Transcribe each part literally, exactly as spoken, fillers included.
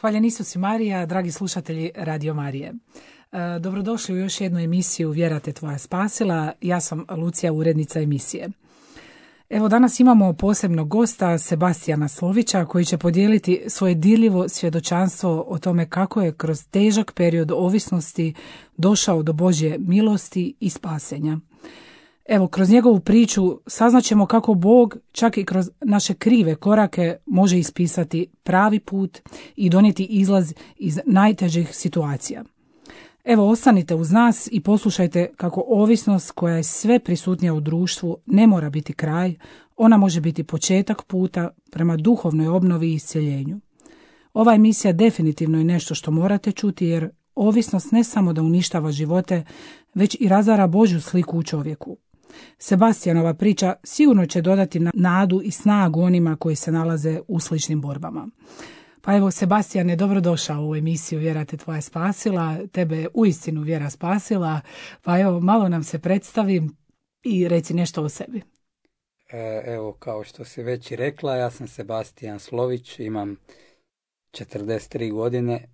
Hvaljen Isus i Marija, dragi slušatelji Radio Marije. E, dobrodošli u još jednu emisiju Vjera te tvoja spasila. Ja sam Lucija, urednica emisije. Evo, danas imamo posebnog gosta, Sebastijana Slovića, koji će podijeliti svoje dirljivo svjedočanstvo o tome kako je kroz težak period ovisnosti došao do Božje milosti i spasenja. Evo, kroz njegovu priču saznaćemo kako Bog čak i kroz naše krive korake može ispisati pravi put i donijeti izlaz iz najtežih situacija. Evo, ostanite uz nas i poslušajte kako ovisnost koja je sve prisutnija u društvu ne mora biti kraj, ona može biti početak puta prema duhovnoj obnovi i iscjeljenju. Ova emisija definitivno je nešto što morate čuti, jer ovisnost ne samo da uništava živote, već i razara Božju sliku u čovjeku. Sebastijanova priča sigurno će dodati nadu i snagu onima koji se nalaze u sličnim borbama. Pa evo, Sebastijane, dobrodošao u emisiju Vjera te tvoja spasila. Tebe je uistinu vjera spasila. Pa evo, malo nam se predstavi i reci nešto o sebi. Evo, kao što si već i rekla, ja sam Sebastijan Slović, imam četrdeset tri godine.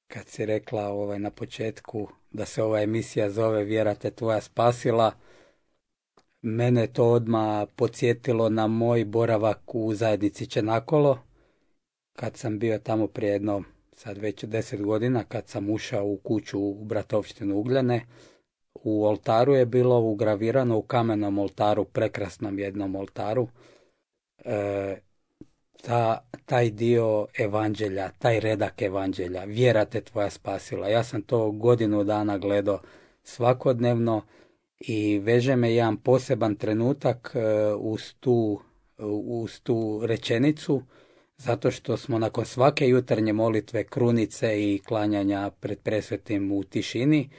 Kad si rekla ovaj, na početku da se ova emisija zove Vjera te tvoja spasila, mene to odmah podsjetilo na moj boravak u zajednici Čenakolo, kad sam bio tamo prije jedno, sad već deset godina, kad sam ušao u kuću u Bratovštinu Ugljane. U oltaru je bilo ugravirano, u kamenom oltaru, prekrasnom jednom oltaru, e, ta, taj dio evanđelja, taj redak evanđelja, Vjera te tvoja spasila. Ja sam to godinu dana gledao svakodnevno i veže me jedan poseban trenutak e, uz, tu, uz tu rečenicu, zato što smo nakon svake jutarnje molitve, krunice i klanjanja pred presvetim u tišini,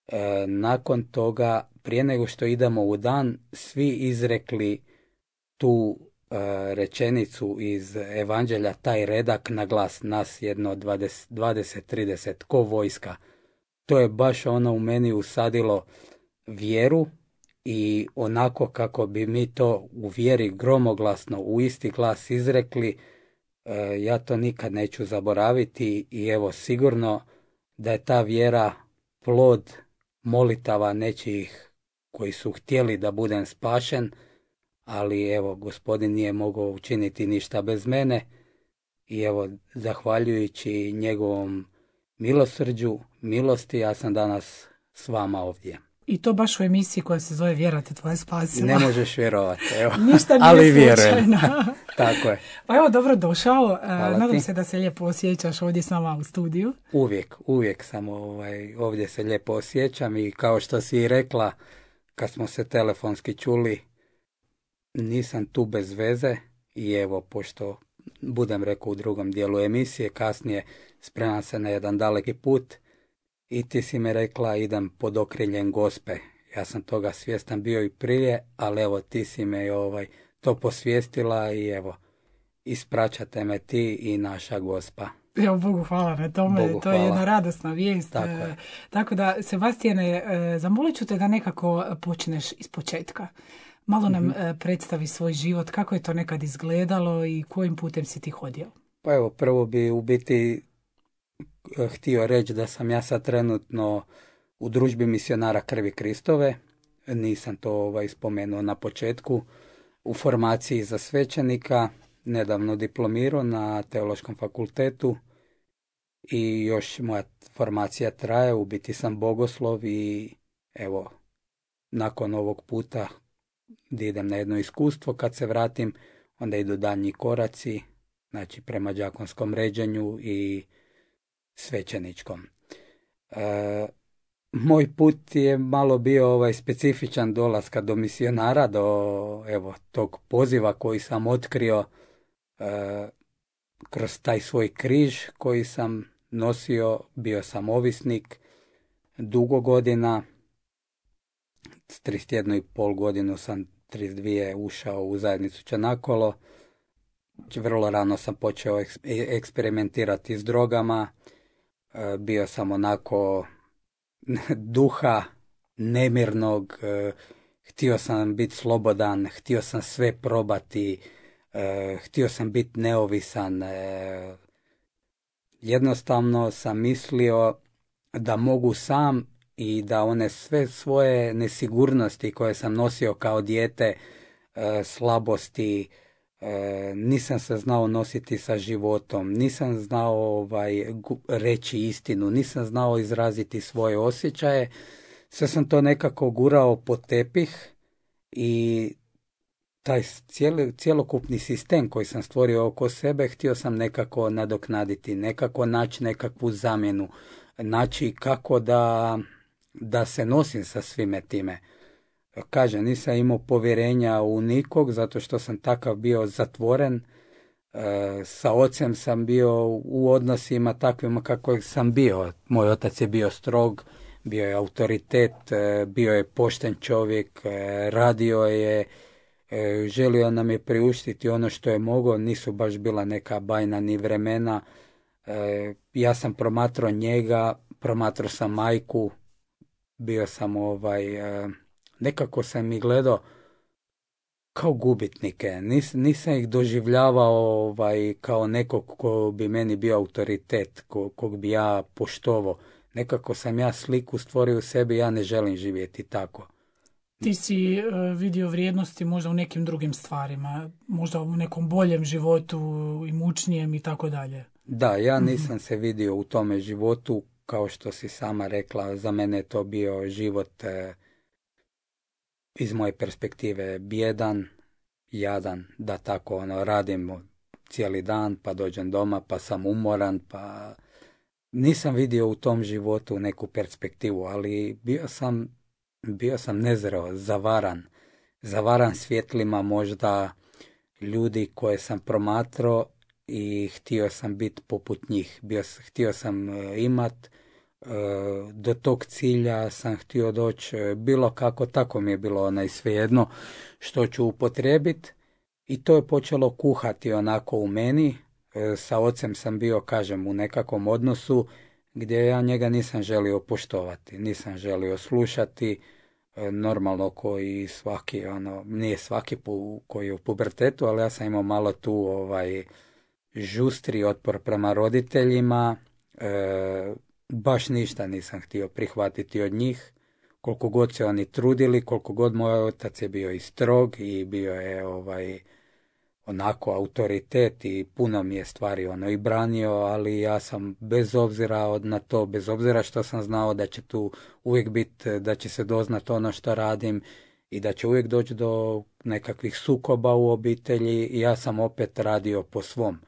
e, nakon toga, prije nego što idemo u dan, svi izrekli tu e, rečenicu iz evanđelja, taj redak na glas, nas jedno dvadeset trideset, ko vojska. To je baš ono u meni usadilo vjeru i onako kako bi mi to u vjeri gromoglasno u isti glas izrekli, ja to nikad neću zaboraviti i evo, sigurno da je ta vjera plod molitava nečijih koji su htjeli da budem spašen, ali evo, Gospodin nije mogao učiniti ništa bez mene i evo, zahvaljujući njegovom milosrđu, milosti, ja sam danas s vama ovdje. I to baš u emisiji koja se zove Vjera te tvoja spasila. Ne možeš vjerovati, evo. Ništa nije ali slučajno. Tako je. Pa evo, dobro došao. Hvala Nadam ti. se da se lijepo osjećaš ovdje s nama u studiju. Uvijek, uvijek sam ovaj, ovdje se lijepo osjećam i kao što si i rekla, kad smo se telefonski čuli, nisam tu bez veze i evo, pošto budem rekao u drugom dijelu emisije, kasnije spremam se na jedan daleki put, i ti si mi rekla idem pod okriljem Gospe. Ja sam toga svjestan bio i prije, ali evo, ti si me ovaj, to posvijestila i evo, ispraćate me ti i naša Gospa. Evo, Bogu hvala na tome, Bogu to je hvala. jedna radosna vijest. Tako je. Tako da, Sebastijane, zamolit ću te da nekako počneš iz početka. Malo nam mm-hmm. predstavi svoj život, kako je to nekad izgledalo i kojim putem si ti hodio. Pa evo, prvo bi u biti htio reći da sam ja sad trenutno u družbi misionara Krvi Kristove, nisam to ovaj, spomenuo na početku, u formaciji za svećenika, nedavno diplomirao na Teološkom fakultetu i još moja formacija traje, u biti sam bogoslov i evo, nakon ovog puta da idem na jedno iskustvo, kad se vratim, onda idu daljnji koraci, znači prema đakonskom ređenju i svećeničkom. E, moj put je malo bio ovaj specifičan dolaska do misionara, do evo tog poziva koji sam otkrio e, kroz taj svoj križ koji sam nosio. Bio sam ovisnik dugo godina, s trideset jednu i pol godinu sam trideset dvije ušao u zajednicu Čenakolo. Vrlo rano sam počeo eksperimentirati s drogama. Bio sam onako duha nemirnog, htio sam biti slobodan, htio sam sve probati, htio sam biti neovisan, jednostavno sam mislio da mogu sam i da one sve svoje nesigurnosti koje sam nosio kao dijete, e, slabosti, e, nisam se znao nositi sa životom, nisam znao ovaj, reći istinu, nisam znao izraziti svoje osjećaje, sve sam to nekako gurao pod tepih i taj cijeli, cjelokupni sistem koji sam stvorio oko sebe htio sam nekako nadoknaditi, nekako naći nekakvu zamjenu, naći kako da, da se nosim sa svime time. Kažem, nisam imao povjerenja u nikog zato što sam takav bio zatvoren. E, sa ocem sam bio u odnosima takvima kako sam bio. Moj otac je bio strog, bio je autoritet, bio je pošten čovjek, radio je, želio nam je priuštiti ono što je mogao, nisu baš bila neka bajna ni vremena. Ja sam promatrao njega, promatrao sam majku, bio sam ovaj, nekako sam ih gledao kao gubitnike, Nis, nisam ih doživljavao ovaj, kao nekog ko bi meni bio autoritet, ko, kog bi ja poštovao. Nekako sam ja sliku stvorio u sebi, ja ne želim živjeti tako. Ti si uh, vidio vrijednosti možda u nekim drugim stvarima, možda u nekom boljem životu i mučnijem i tako dalje. Da, ja nisam se vidio u tome životu, kao što si sama rekla, za mene je to bio život eh, iz moje perspektive bijedan, jadan, da tako ono, radim cijeli dan, pa dođem doma, pa sam umoran, pa nisam vidio u tom životu neku perspektivu, ali bio sam, bio sam nezreo, zavaran, zavaran svjetlima možda ljudi koje sam promatrao i htio sam biti poput njih. Bio, htio sam imat, do tog cilja sam htio doći bilo kako, tako mi je bilo onaj svejedno što ću upotrijebiti i to je počelo kuhati onako u meni. Sa ocem sam bio, kažem, u nekakvom odnosu gdje ja njega nisam želio poštovati, nisam želio slušati, normalno koji svaki, ono, nije svaki pu, koji je u pubertetu, ali ja sam imao malo tu ovaj žustri otpor prema roditeljima, e, baš ništa nisam htio prihvatiti od njih, koliko god se oni trudili, koliko god moj otac je bio i strog i bio je ovaj onako autoritet i puno mi je stvari ono i branio, ali ja sam bez obzira na to, bez obzira što sam znao da će tu uvijek biti, da će se doznat ono što radim i da će uvijek doći do nekakvih sukoba u obitelji i ja sam opet radio po svom.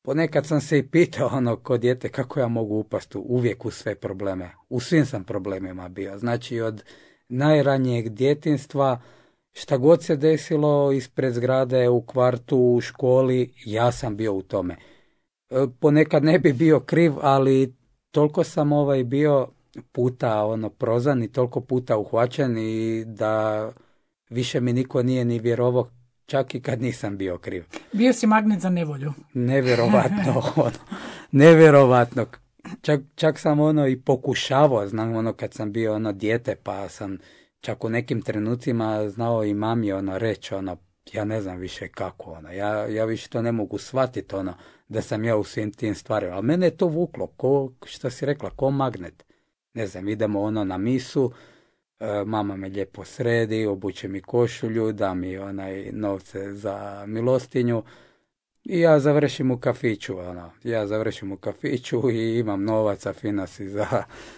Ponekad sam se i pitao ono kod dijete kako ja mogu upasti uvijek u sve probleme. U svim sam problemima bio. Znači od najranijeg djetinjstva šta god se desilo ispred zgrade, u kvartu, u školi, ja sam bio u tome. Ponekad ne bi bio kriv, ali toliko sam ovaj bio puta ono prozan i toliko puta uhvaćen i da više mi niko nije ni vjerovao čak i kad nisam bio kriv. Bio si magnet za nevolju. Nevjerovatno, ono, nevjerovatno. Čak, čak sam ono i pokušavao, znam ono kad sam bio ono dijete, pa sam čak u nekim trenucima znao i mami ono reći, ono, ja ne znam više kako, ono, ja, ja više to ne mogu shvatiti, ono, da sam ja u svim tim stvarima, ali mene je to vuklo, ko, što si rekla, ko magnet. Ne znam, idemo ono na misu, e, mama me lijepo sredi, obuče mi košulju, da mi onaj novce za milostinju i ja završim u kafiću, ono, ja završim u kafiću i imam novaca, fina si za,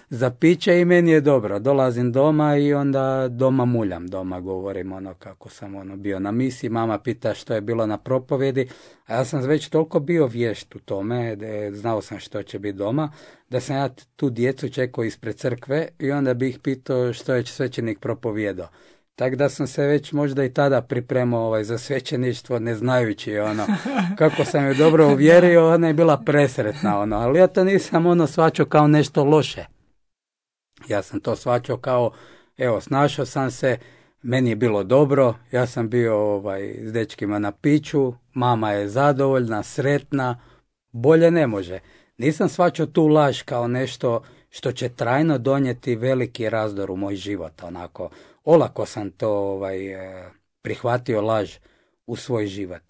za piće i meni je dobro. Dolazim doma i onda doma muljam, doma govorim ono kako sam ono bio na misiji, mama pita što je bilo na propovjedi, a ja sam već toliko bio vješt u tome, da znao sam što će biti doma, da sam ja tu djecu čekao ispred crkve i onda bih pitao što je svećenik propovjedao. Tako da sam se već možda i tada pripremao ovaj, za svećeništvo, ne znajući ono, kako sam je dobro uvjerio, ona je bila presretna, ono, ali ja to nisam ono shvaćao kao nešto loše. Ja sam to shvaćao kao, evo, snašao sam se, meni je bilo dobro, ja sam bio ovaj, s dečkima na piću, mama je zadovoljna, sretna, bolje ne može. Nisam shvaćao tu laž kao nešto što će trajno donijeti veliki razdor u moj život, onako. Olako sam to ovaj, prihvatio laž u svoj život.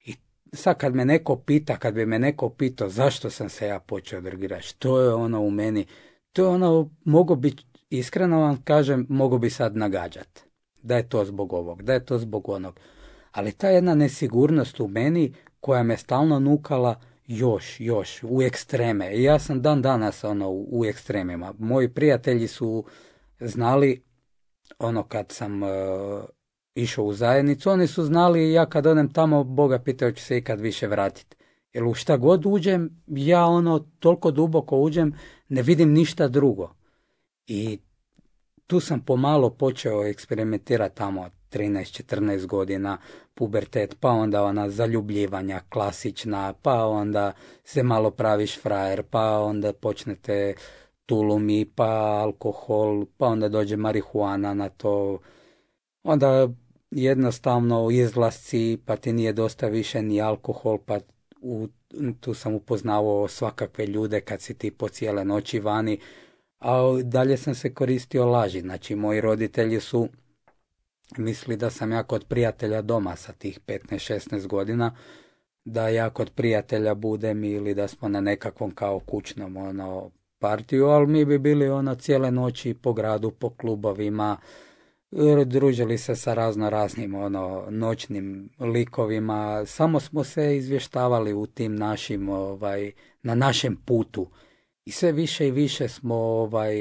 I sad kad me neko pita, kad bi me neko pitao zašto sam se ja počeo drogirati, što je ono u meni, to je ono, mogu biti, iskreno vam kažem, mogu bi sad nagađati. Da je to zbog ovog, da je to zbog onog. Ali ta jedna nesigurnost u meni koja me stalno nukala još, još, u ekstreme. I ja sam dan danas ono u, u ekstremima. Moji prijatelji su znali, ono kad sam uh, išao u zajednicu, oni su znali ja kad odem tamo, Boga pitao ću se ikad više vratiti. Jer u šta god uđem, ja ono toliko duboko uđem, ne vidim ništa drugo. I tu sam pomalo počeo eksperimentirati tamo trinaest četrnaest godina, pubertet, pa onda ona zaljubljivanja klasična, pa onda se malo praviš frajer, pa onda počnete tulumi, pa alkohol, pa onda dođe marihuana na to, onda jednostavno izlasci, pa ti nije dosta više ni alkohol, pa u, tu sam upoznavao svakakve ljude kad si ti po cijele noći vani, a dalje sam se koristio laži. Znači, moji roditelji su mislili da sam ja kod prijatelja doma sa tih petnaest šesnaest godina, da ja kod prijatelja budem ili da smo na nekakvom kao kućnom ono, partiju, ali mi bi bili ono cijele noći po gradu, po klubovima, družili se sa razno raznim ono, noćnim likovima, samo smo se izvještavali u tim našim, ovaj, na našem putu. I sve više i više smo ovaj,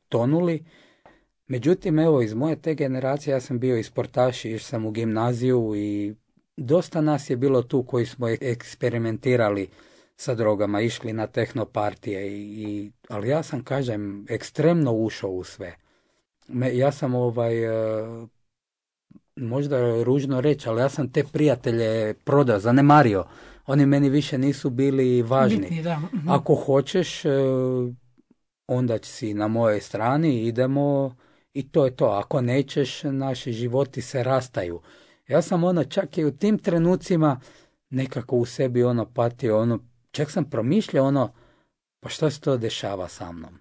tonuli. Međutim, evo, iz moje te generacije, ja sam bio i sportaš, išao sam u gimnaziju i dosta nas je bilo tu koji smo eksperimentirali sa drogama, išli na tehnopartije, i, i, ali ja sam, kažem, ekstremno ušao u sve. Me, ja sam, ovaj, možda je ružno reći, ali ja sam te prijatelje prodao, zanemario. Oni meni više nisu bili važni. Bitni, da. Ako hoćeš, onda si na mojoj strani, idemo i to je to. Ako nećeš, naši životi se rastaju. Ja sam ono, čak i u tim trenucima nekako u sebi ono patio, ono, čak sam promišljao ono, pa šta se to dešava sa mnom?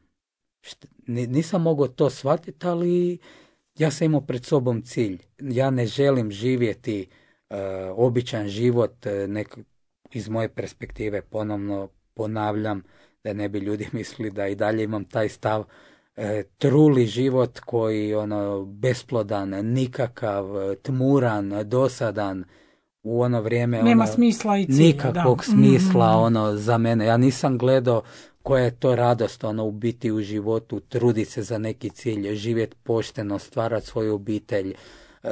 Šta, nisam mogao to shvatiti, ali ja sam imao pred sobom cilj. Ja ne želim živjeti uh, običan život, nek, iz moje perspektive ponovno ponavljam, da ne bi ljudi mislili da i dalje imam taj stav, e, truli život koji ono besplodan, nikakav, tmuran, dosadan, u ono vrijeme nema ono, smisla i cilja, nikakvog da. smisla mm-hmm. ono za mene. Ja nisam gledao koja je to radost ono u biti u životu, truditi se za neki cilj, živjeti pošteno, stvarati svoju obitelj, e,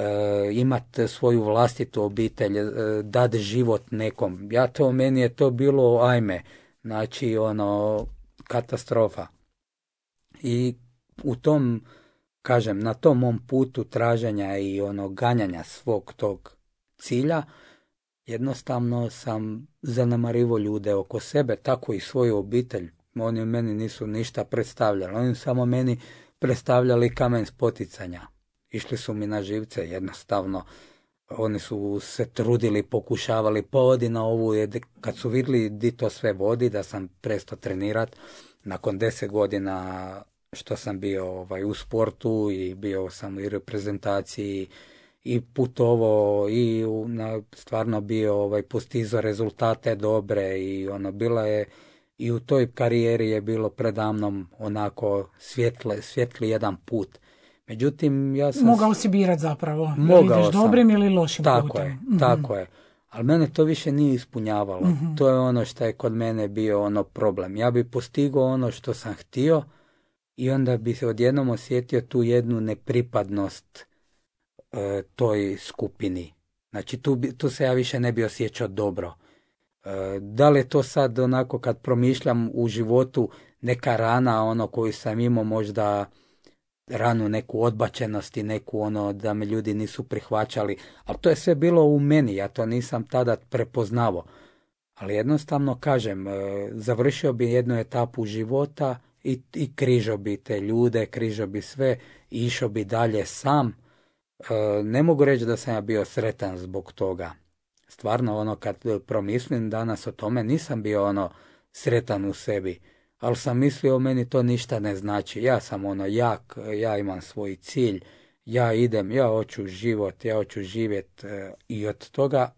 imati svoju vlastitu obitelj, e, dati život nekom. Ja to, meni je to bilo ajme. Znači, ono, katastrofa. I u tom, kažem, na tom mom putu traženja i ono ganjanja svog tog cilja, jednostavno sam zanemarivo ljude oko sebe, tako i svoju obitelj. Oni meni nisu ništa predstavljali, oni samo meni predstavljali kamen spoticanja. Išli su mi na živce, jednostavno. Oni su se trudili, pokušavali, pa odi na ovu, kad su vidjeli di to sve vodi, da sam prestao trenirati, nakon deset godina što sam bio ovaj, u sportu i bio sam i reprezentaciji i putovao i na, stvarno bio ovaj, postizao rezultate dobre i ono, bila je i u toj karijeri je bilo predamnom onako svjetle, svjetli jedan put. Međutim, ja sam... Mogao si birat zapravo. Mogao ideš sam. Dobrim ili lošim tako putem. Je, mm-hmm. Tako je. Ali mene to više nije ispunjavalo. Mm-hmm. To je ono što je kod mene bio ono problem. Ja bi postigao ono što sam htio i onda bi se odjednom osjetio tu jednu nepripadnost e, toj skupini. Znači tu, bi, tu se ja više ne bi osjećao dobro. E, da li je to sad onako kad promišljam u životu neka rana ono koju sam imao, možda ranu neku odbačenost i neku ono da me ljudi nisu prihvaćali, ali to je sve bilo u meni, ja to nisam tada prepoznavao. Ali jednostavno kažem, završio bi jednu etapu života i, i križao bi te ljude, križao bi sve i išao bi dalje sam. Ne mogu reći da sam ja bio sretan zbog toga. Stvarno ono kad promislim danas o tome, nisam bio ono sretan u sebi. Ali sam mislio, meni to ništa ne znači. Ja sam ono jak, ja imam svoj cilj, ja idem, ja hoću život, ja hoću živjeti. I od toga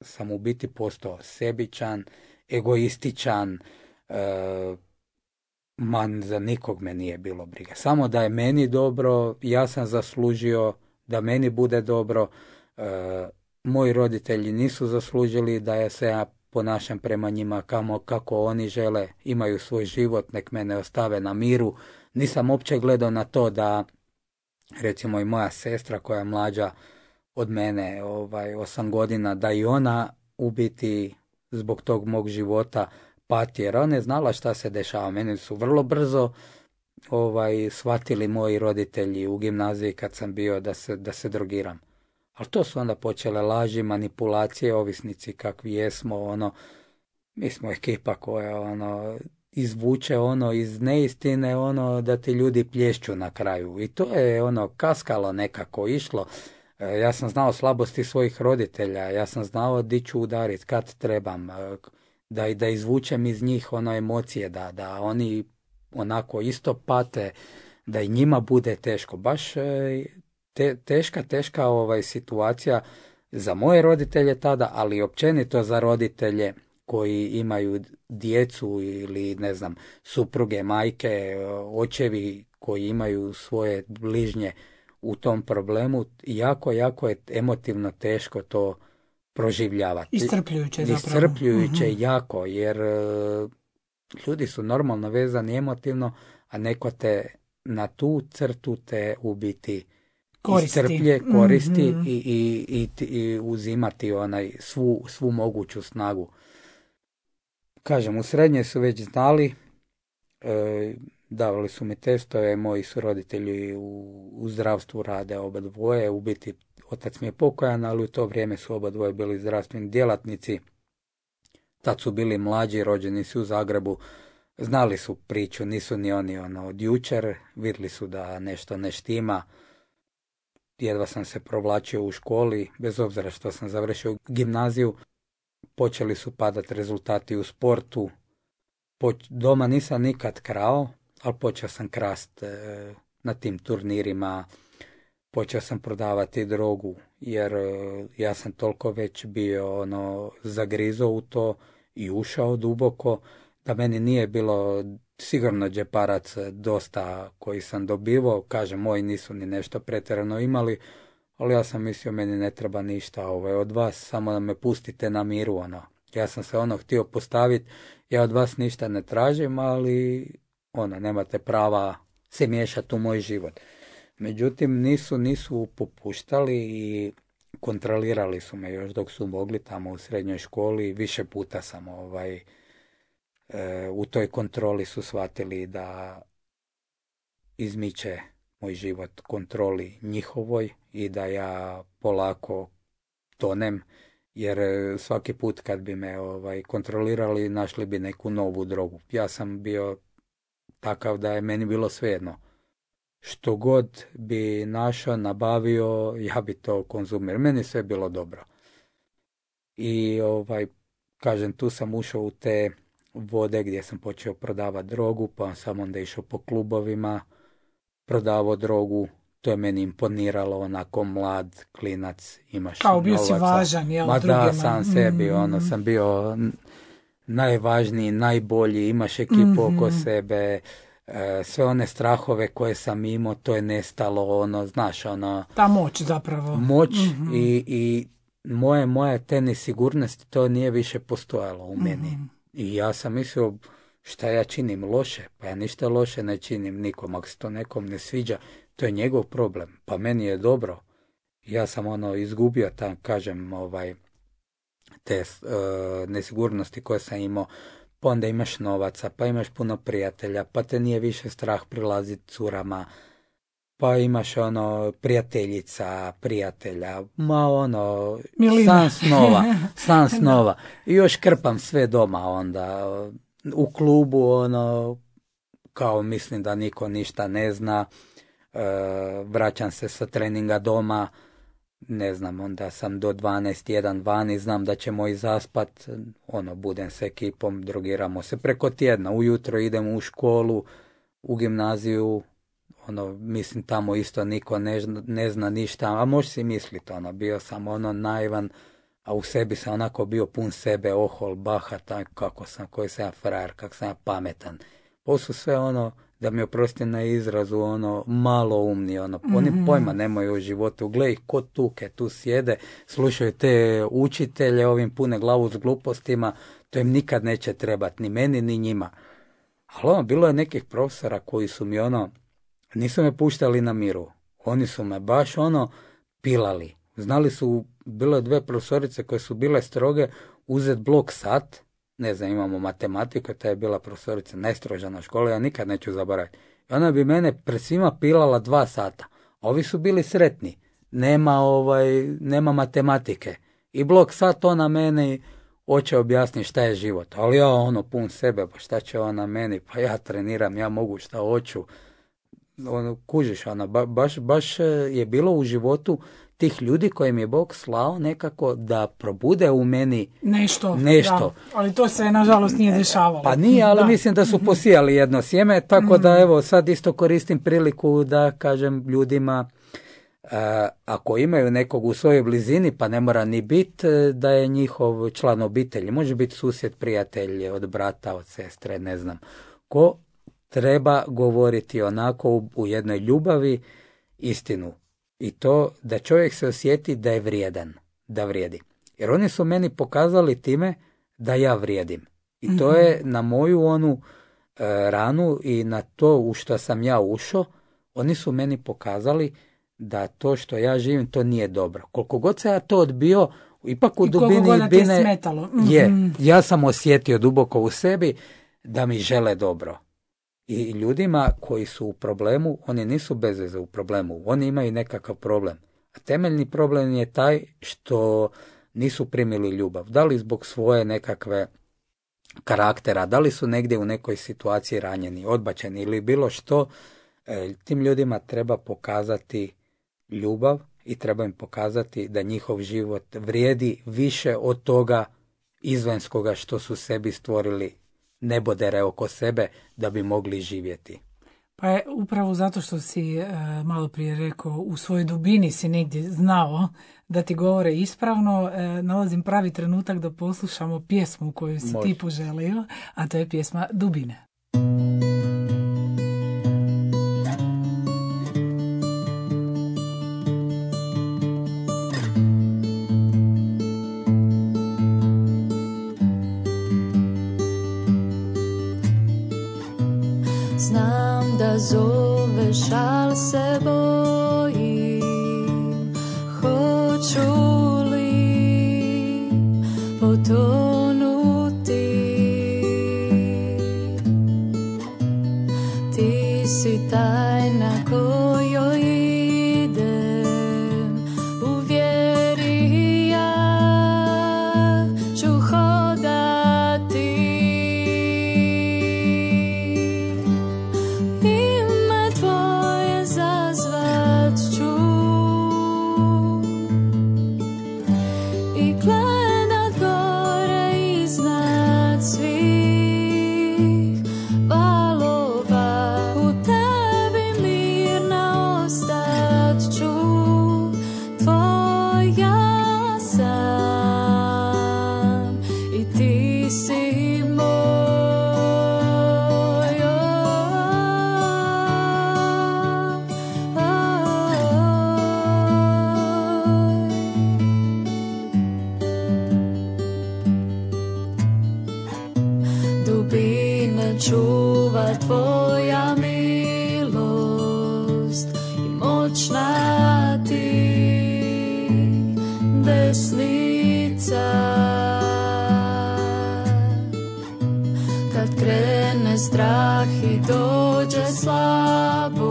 sam u biti postao sebičan, egoističan, e, man za nikog me nije bilo briga. Samo da je meni dobro, ja sam zaslužio da meni bude dobro. E, moji roditelji nisu zaslužili da ja se ja ponašam prema njima kamo, kako oni žele, imaju svoj život, nek mene ostave na miru. Nisam uopće gledao na to da, recimo i moja sestra koja je mlađa od mene, ovaj, osam godina, da i ona u biti zbog tog mog života pati, jer ona je znala šta se dešava. Meni su vrlo brzo ovaj, shvatili moji roditelji u gimnaziji kad sam bio da se, da se drogiram. Ali to su onda počele laži, manipulacije, ovisnici kakvi jesmo, ono, mi smo ekipa koja ono, izvuče ono iz neistine, ono da ti ljudi plješću na kraju. I to je ono kaskalo nekako išlo. E, ja sam znao slabosti svojih roditelja, ja sam znao di ću udarit, kad trebam, e, da, da izvučem iz njih ono emocije, da, da oni onako isto pate, da i njima bude teško. Baš e, te, teška, teška ovaj, situacija za moje roditelje tada, ali općenito za roditelje koji imaju djecu ili ne znam, supruge, majke, očevi koji imaju svoje bližnje u tom problemu. Jako, jako je emotivno teško to proživljavati. Iscrpljujuće zapravo. Iscrpljujuće uh-huh. jako, jer uh, ljudi su normalno vezani emotivno, a neko te na tu crtu te u biti koristi. Iscrplje, koristi mm-hmm. i, i, i, i uzimati onaj svu, svu moguću snagu. Kažem, u srednje su već znali, e, davali su mi testove, moji su roditelji u, u zdravstvu rade oba dvoje, u biti otac mi je pokojan, ali u to vrijeme su oba dvoje bili zdravstveni djelatnici, tad su bili mlađi, rođeni su u Zagrebu, znali su priču, nisu ni oni ono, od jučer, vidjeli su da nešto ne štima, jedva sam se provlačio u školi, bez obzira što sam završio gimnaziju, počeli su padati rezultati u sportu. Poč- doma nisam nikad krao, ali počeo sam krast e, na tim turnirima, počeo sam prodavati drogu, jer e, ja sam toliko već bio ono, zagrizao u to i ušao duboko, da meni nije bilo sigurno džeparac dosta koji sam dobivao, kažem, moji nisu ni nešto pretjerano imali, ali ja sam mislio, meni ne treba ništa ovaj, od vas, samo da me pustite na miru, ono. Ja sam se ono htio postaviti, ja od vas ništa ne tražim, ali ono, nemate prava se miješati u moj život. Međutim, nisu, nisu popuštali i kontrolirali su me još dok su mogli tamo u srednjoj školi, više puta sam ovaj, e, u toj kontroli su shvatili da izmiče moj život kontroli njihovoj i da ja polako tonem, jer svaki put kad bi me ovaj, kontrolirali našli bi neku novu drogu. Ja sam bio takav da je meni bilo svejedno. Što god bi našao, nabavio, ja bi to konzumirao. Meni sve bilo dobro. I ovaj, kažem, tu sam ušao u te vode gdje sam počeo prodavati drogu, pa sam onda išao po klubovima, prodavao drogu, to je meni imponiralo, onako mlad, klinac, imaš kao bio novaca. Si važan, jel, Ma drugima. Da, sam sebi, mm. ono, sam bio najvažniji, najbolji, imaš ekipu mm-hmm. oko sebe, e, sve one strahove koje sam imao, to je nestalo, ono, znaš, ono... Ta moć zapravo. Moć mm-hmm. i, i moje, moje te nesigurnosti, to nije više postojalo u meni. Mm-hmm. I ja sam mislio, šta ja činim loše? Pa ja ništa loše ne činim nikom. Ako se to nekom ne sviđa, to je njegov problem. Pa meni je dobro. Ja sam ono izgubio tam, kažem, ovaj, te uh, nesigurnosti koje sam imao. Pa onda imaš novaca, pa imaš puno prijatelja, pa te nije više strah prilaziti curama, pa imaš ono prijateljica, prijatelja, ma ono, san snova, san snova. I još krpam sve doma onda, u klubu ono, kao mislim da niko ništa ne zna, e, vraćam se sa treninga doma, ne znam, onda sam do dvanaest jedan vani, znam da ćemo i zaspat, ono, budem s ekipom, drogiramo se preko tjedna, ujutro idemo u školu, u gimnaziju, ono, mislim tamo isto niko ne, ne zna ništa, a možeš si misliti, ono, bio sam ono naivan, a u sebi sam onako bio pun sebe, ohol, bahatan, kako sam, koji sam ja frajer, kako sam ja pametan. Ovo su sve ono, da mi oprosti na izrazu, ono, malo umni, ono, mm-hmm. oni pojma nemaju u životu. Gle ih ko tuke, tu sjede, slušaju te učitelje, ovim pune glavu s glupostima, to im nikad neće trebati, ni meni, ni njima. Ali ono, bilo je nekih profesora koji su mi ono, nisu me puštali na miru. Oni su me baš ono, pilali. Znali su, bilo je dve profesorice koje su bile stroge, uzet blok sat, ne znam, imamo matematiku, ta je bila profesorica najstroža na školi, ja nikad neću zaboraviti. I ona bi mene pred svima pilala dva sata. Ovi su bili sretni. Nema, ovaj, nema matematike. I blok sat ona meni hoće objasniti šta je život. Ali ja ono pun sebe, pa šta će ona meni, pa ja treniram, ja mogu šta hoću. Ono, kužiš, ono, ba, baš, baš je bilo u životu tih ljudi kojim je Bog slao nekako da probude u meni nešto. nešto. Da, ali to se nažalost nije dešavalo. Pa nije, ali da. Mislim da su posijali jedno sjeme, tako mm-hmm. da evo sad isto koristim priliku da kažem ljudima uh, ako imaju nekog u svojoj blizini, pa ne mora ni biti da je njihov član obitelji, može biti susjed, prijatelj, od brata, od sestre, ne znam ko, treba govoriti onako u, u jednoj ljubavi istinu. I to da čovjek se osjeti da je vrijedan, da vrijedi. Jer oni su meni pokazali time da ja vrijedim. I to je na moju onu e, ranu i na to u što sam ja ušao, oni su meni pokazali da to što ja živim, to nije dobro. Koliko god se ja to odbio, ipak u I dubini bine smetalo. Mm-hmm. je, ja sam osjetio duboko u sebi da mi žele dobro. I ljudima koji su u problemu, oni nisu bez veze u problemu, oni imaju nekakav problem. A temeljni problem je taj što nisu primili ljubav. Da li zbog svoje nekakve karaktera, da li su negdje u nekoj situaciji ranjeni, odbačeni ili bilo što, tim ljudima treba pokazati ljubav i treba im pokazati da njihov život vrijedi više od toga izvanjskoga što su sebi stvorili nebodere oko sebe da bi mogli živjeti. Pa je upravo zato što si e, malo prije rekao, u svojoj dubini si negdje znao da ti govore ispravno, e, nalazim pravi trenutak da poslušamo pjesmu koju si Može. ti poželio, a to je pjesma Dubine. Znam da zoveš, al se bojim, hoću li potonuti. Ti si tajna kojoj idem, u vjeri ja ću hodati. Čuva tvoja milost i moćna ti desnica. Kad krene strah i dođe slabost,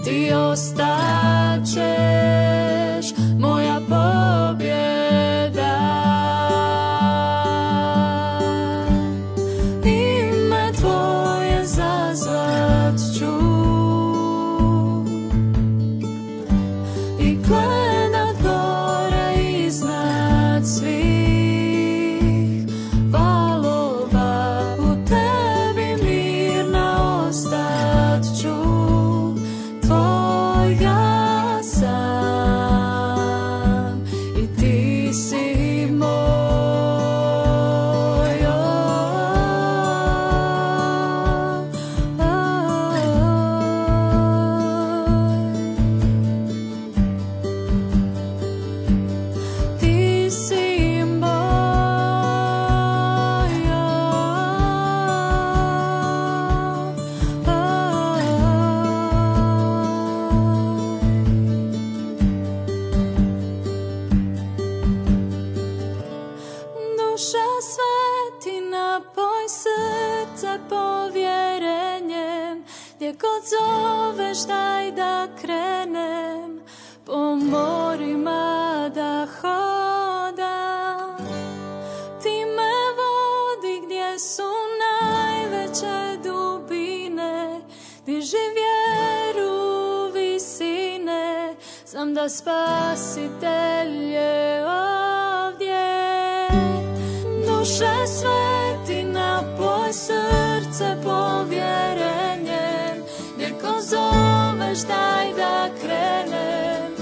ti ostaćeš moja pobjeda. Tvoja sam. srce povjerenjem, gdje god zoveš daj da krenem, po morima da hodam. Ti me vodi gdje su najveće dubine, diži vjeru visine, znam da Spasitelj je ovdje. Duše sveti, napoj srce povjerenjem, gdje ko zoveš daj da krenem,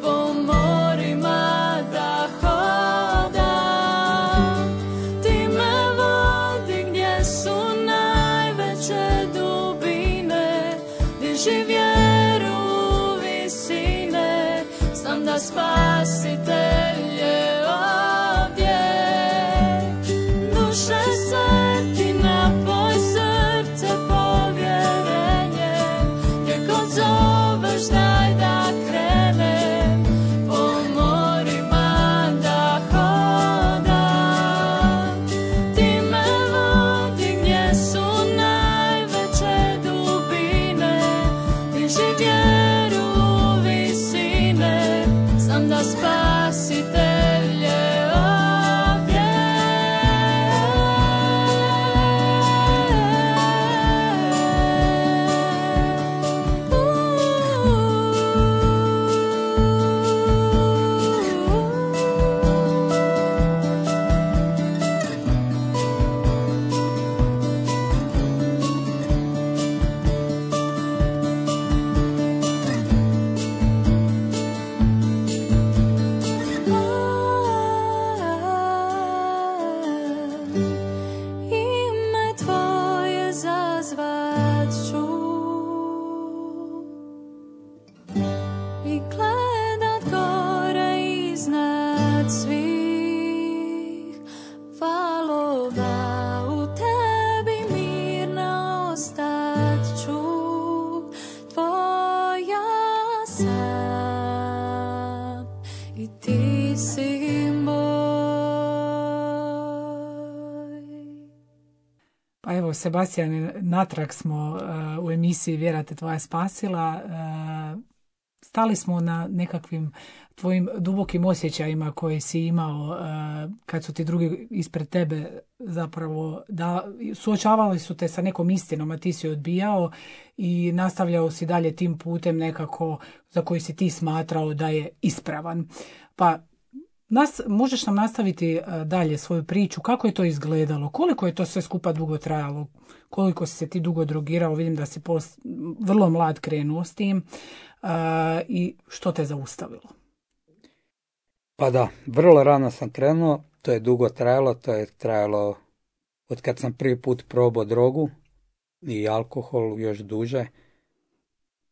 po morima da hodam. Ti me vodi gdje su najveće dubine, diži vjeru visine, znam da Spasitelj je ovdje. Duše sveti, napoj srce povjerenjem, gdje god zoveš daj da krenem, po morima da hodam. Ti me vodi gdje su najveće dubine, diži vjeru visine, znam da Spasitelj je ovdje. Ime tvoje zazvat ću i gledat gore iznad svih valova, u tebi mirna ostat ću, tvoja sam i ti si moj. Pa evo, Sebastian, natrag smo uh, u emisiji Vjera te tvoja spasila. Uh, stali smo na nekakvim tvojim dubokim osjećajima koje si imao uh, kad su ti drugi ispred tebe zapravo da, suočavali su te sa nekom istinom, a ti si odbijao i nastavljao si dalje tim putem nekako za koji si ti smatrao da je ispravan. Pa Nas, možeš nam nastaviti dalje svoju priču, kako je to izgledalo, koliko je to sve skupa dugo trajalo, koliko si se ti dugo drogirao, vidim da si post, vrlo mlad krenuo s tim uh, i što te zaustavilo? Pa da, vrlo rano sam krenuo, to je dugo trajalo, to je trajalo od kad sam prvi put probao drogu i alkohol još duže,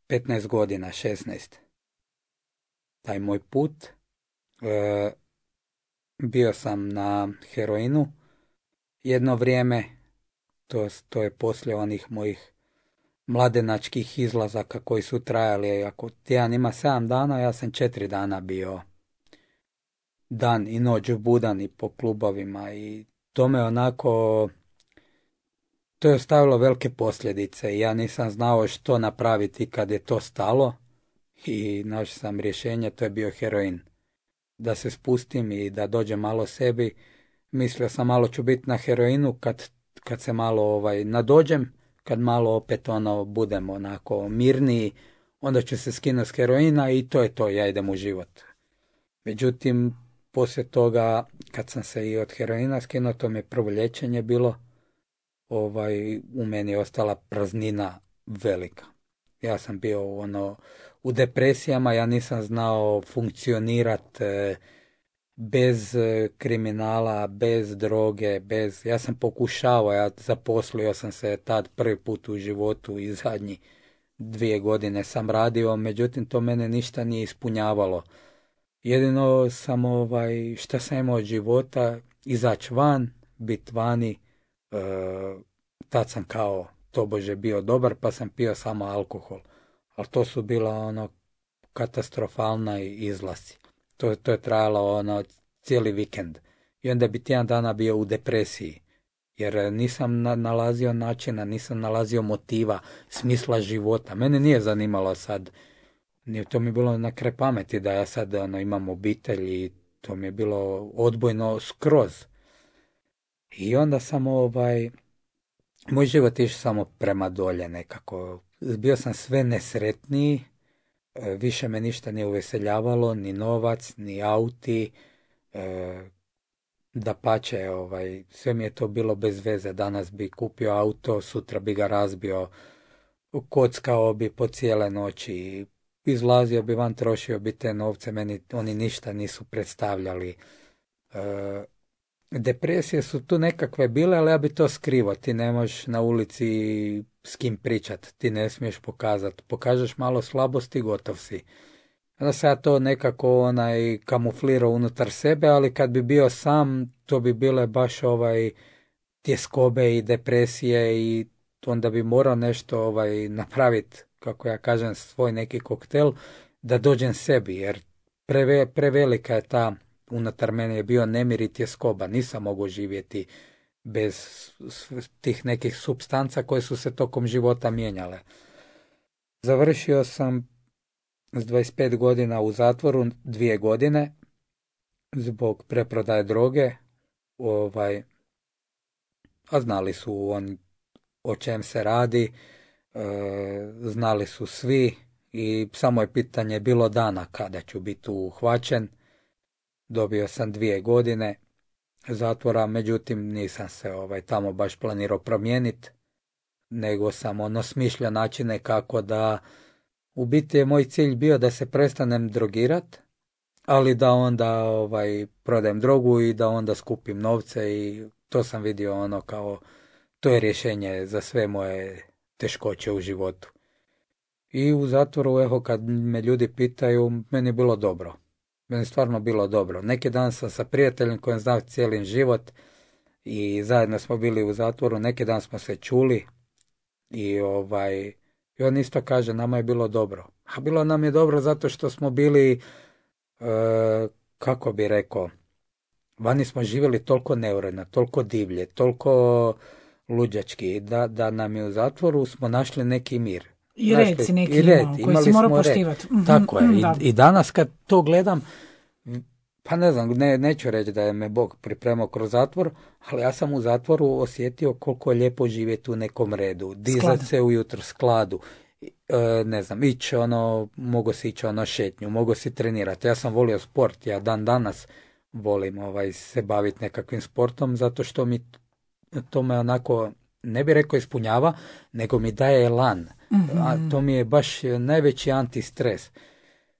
petnaest godina, šesnaest. Taj moj put. E, bio sam na heroinu jedno vrijeme, to, to je poslije onih mojih mladenačkih izlazaka koji su trajali, ako tjedan ima sedam dana, ja sam četiri dana bio dan i noć budan i po klubovima i to me onako, to je ostavilo velike posljedice i ja nisam znao što napraviti kad je to stalo i našao sam rješenje, to je bio heroin. Da se spustim i da dođem malo sebi, mislio sam malo ću biti na heroinu kad, kad se malo ovaj, nadođem, kad malo opet ono budem onako mirniji, onda ću se skinuti s heroina i to je to, ja idem u život. Međutim, poslije toga, kad sam se i od heroina skinuo, to mi je prvo liječenje bilo, ovaj, u meni je ostala praznina velika. Ja sam bio ono, u depresijama, ja nisam znao funkcionirati e, bez kriminala, bez droge, bez... Ja sam pokušavao, ja zaposlio sam se tad prvi put u životu i zadnji dvije godine sam radio, međutim to mene ništa nije ispunjavalo. Jedino sam, ovaj, šta sam imao od života, izaći van, biti vani, e, tad sam kao tobože bio dobar, pa sam pio samo alkohol. Ali to su bila ono katastrofalna izlasi. To, to je trajalo ono cijeli vikend. I onda bi tjedan dana bio u depresiji. jer nisam na, nalazio načina, nisam nalazio motiva, smisla života. Mene nije zanimalo sad, nije to mi bilo na kraj pameti da ja sad ono, imam obitelj i to mi je bilo odbojno skroz. I onda sam ovaj, moj život išao samo prema dolje nekako. Bio sam sve nesretniji, više me ništa nije uveseljavalo, ni novac, ni auti, e, dapače, ovaj, sve mi je to bilo bez veze. Danas bi kupio auto, sutra bi ga razbio, kockao bi po cijele noći, izlazio bi van, trošio bi te novce, meni oni ništa nisu predstavljali. E, depresije su tu nekakve bile, ali ja bi to skrivao. Ti ne možeš na ulici s kim pričat, ti ne smiješ pokazati. Pokažeš malo slabosti, gotov si. Onda se ja to nekako onaj kamuflirao unutar sebe, ali kad bi bio sam, to bi bile baš ovaj tjeskobe i depresije i onda bi morao nešto ovaj napraviti, kako ja kažem, svoj neki koktel da dođem sebi, jer preve, prevelika je ta, unutar mene je bio nemir i tjeskoba, nisam mogao živjeti bez tih nekih supstanca koje su se tokom života mijenjale. Završio sam s dvadeset pet godina u zatvoru, dvije godine, zbog preprodaje droge, ovaj, a znali su on o čem se radi, e, znali su svi i samo je pitanje bilo dana kada ću biti uhvaćen. Dobio sam dvije godine zatvora, međutim nisam se ovaj, tamo baš planirao promijeniti, nego sam ono smišljao načine kako da, u biti je moj cilj bio da se prestanem drogirat, ali da onda ovaj, prodajem drogu i da onda skupim novce i to sam vidio ono kao, to je rješenje za sve moje teškoće u životu. I u zatvoru, evo, kad me ljudi pitaju, meni je bilo dobro. Meni je stvarno bilo dobro. Neki dan sam sa prijateljem kojem znam cijeli život i zajedno smo bili u zatvoru, neki dan smo se čuli i ovaj, i on isto kaže, nama je bilo dobro. A bilo nam je dobro zato što smo bili, e, kako bi rekao, vani smo živjeli toliko neuredno, toliko divlje, toliko luđački, da, da nam je u zatvoru smo našli neki mir. I red si neki imao, koji si morao poštivati. Tako je. I, I danas kad to gledam, pa ne znam, ne, neću reći da je me Bog pripremao kroz zatvor, ali ja sam u zatvoru osjetio koliko je lijepo živjeti u nekom redu. Dizat se ujutro, skladu. E, ne znam, ići ono, mogu si ići ono šetnju, mogu si trenirati. Ja sam volio sport, ja dan danas volim ovaj, se baviti nekakvim sportom, zato što mi to me onako, ne bi rekao ispunjava, nego mi daje elan. Mm-hmm. A to mi je baš najveći antistres.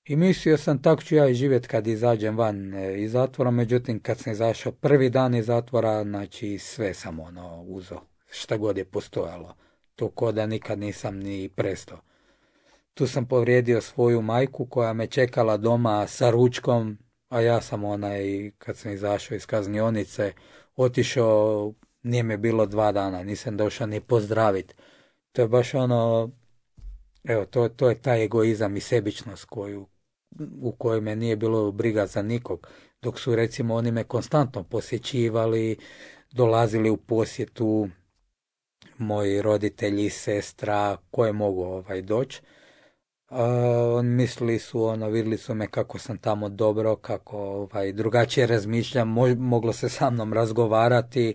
I mislio sam tako ću ja i živjeti kad izađem van iz zatvora, međutim kad sam izašao prvi dan iz zatvora, znači sve sam ono uzo, šta god je postojalo. To ko da nikad nisam ni prestao. Tu sam povrijedio svoju majku koja me čekala doma sa ručkom, a ja sam onaj, kad sam izašao iz kaznionice, otišao, nije me bilo dva dana, nisam došao ni pozdraviti. To je baš ono, evo, to, to je taj egoizam i sebičnost koju, u kojoj me nije bilo briga za nikog. Dok su recimo oni me konstantno posjećivali, dolazili u posjetu, moji roditelji, sestra, koje mogu ovaj, doći. Uh, mislili su, ono, vidjeli su me kako sam tamo dobro, kako ovaj, drugačije razmišljam, mo, moglo se sa mnom razgovarati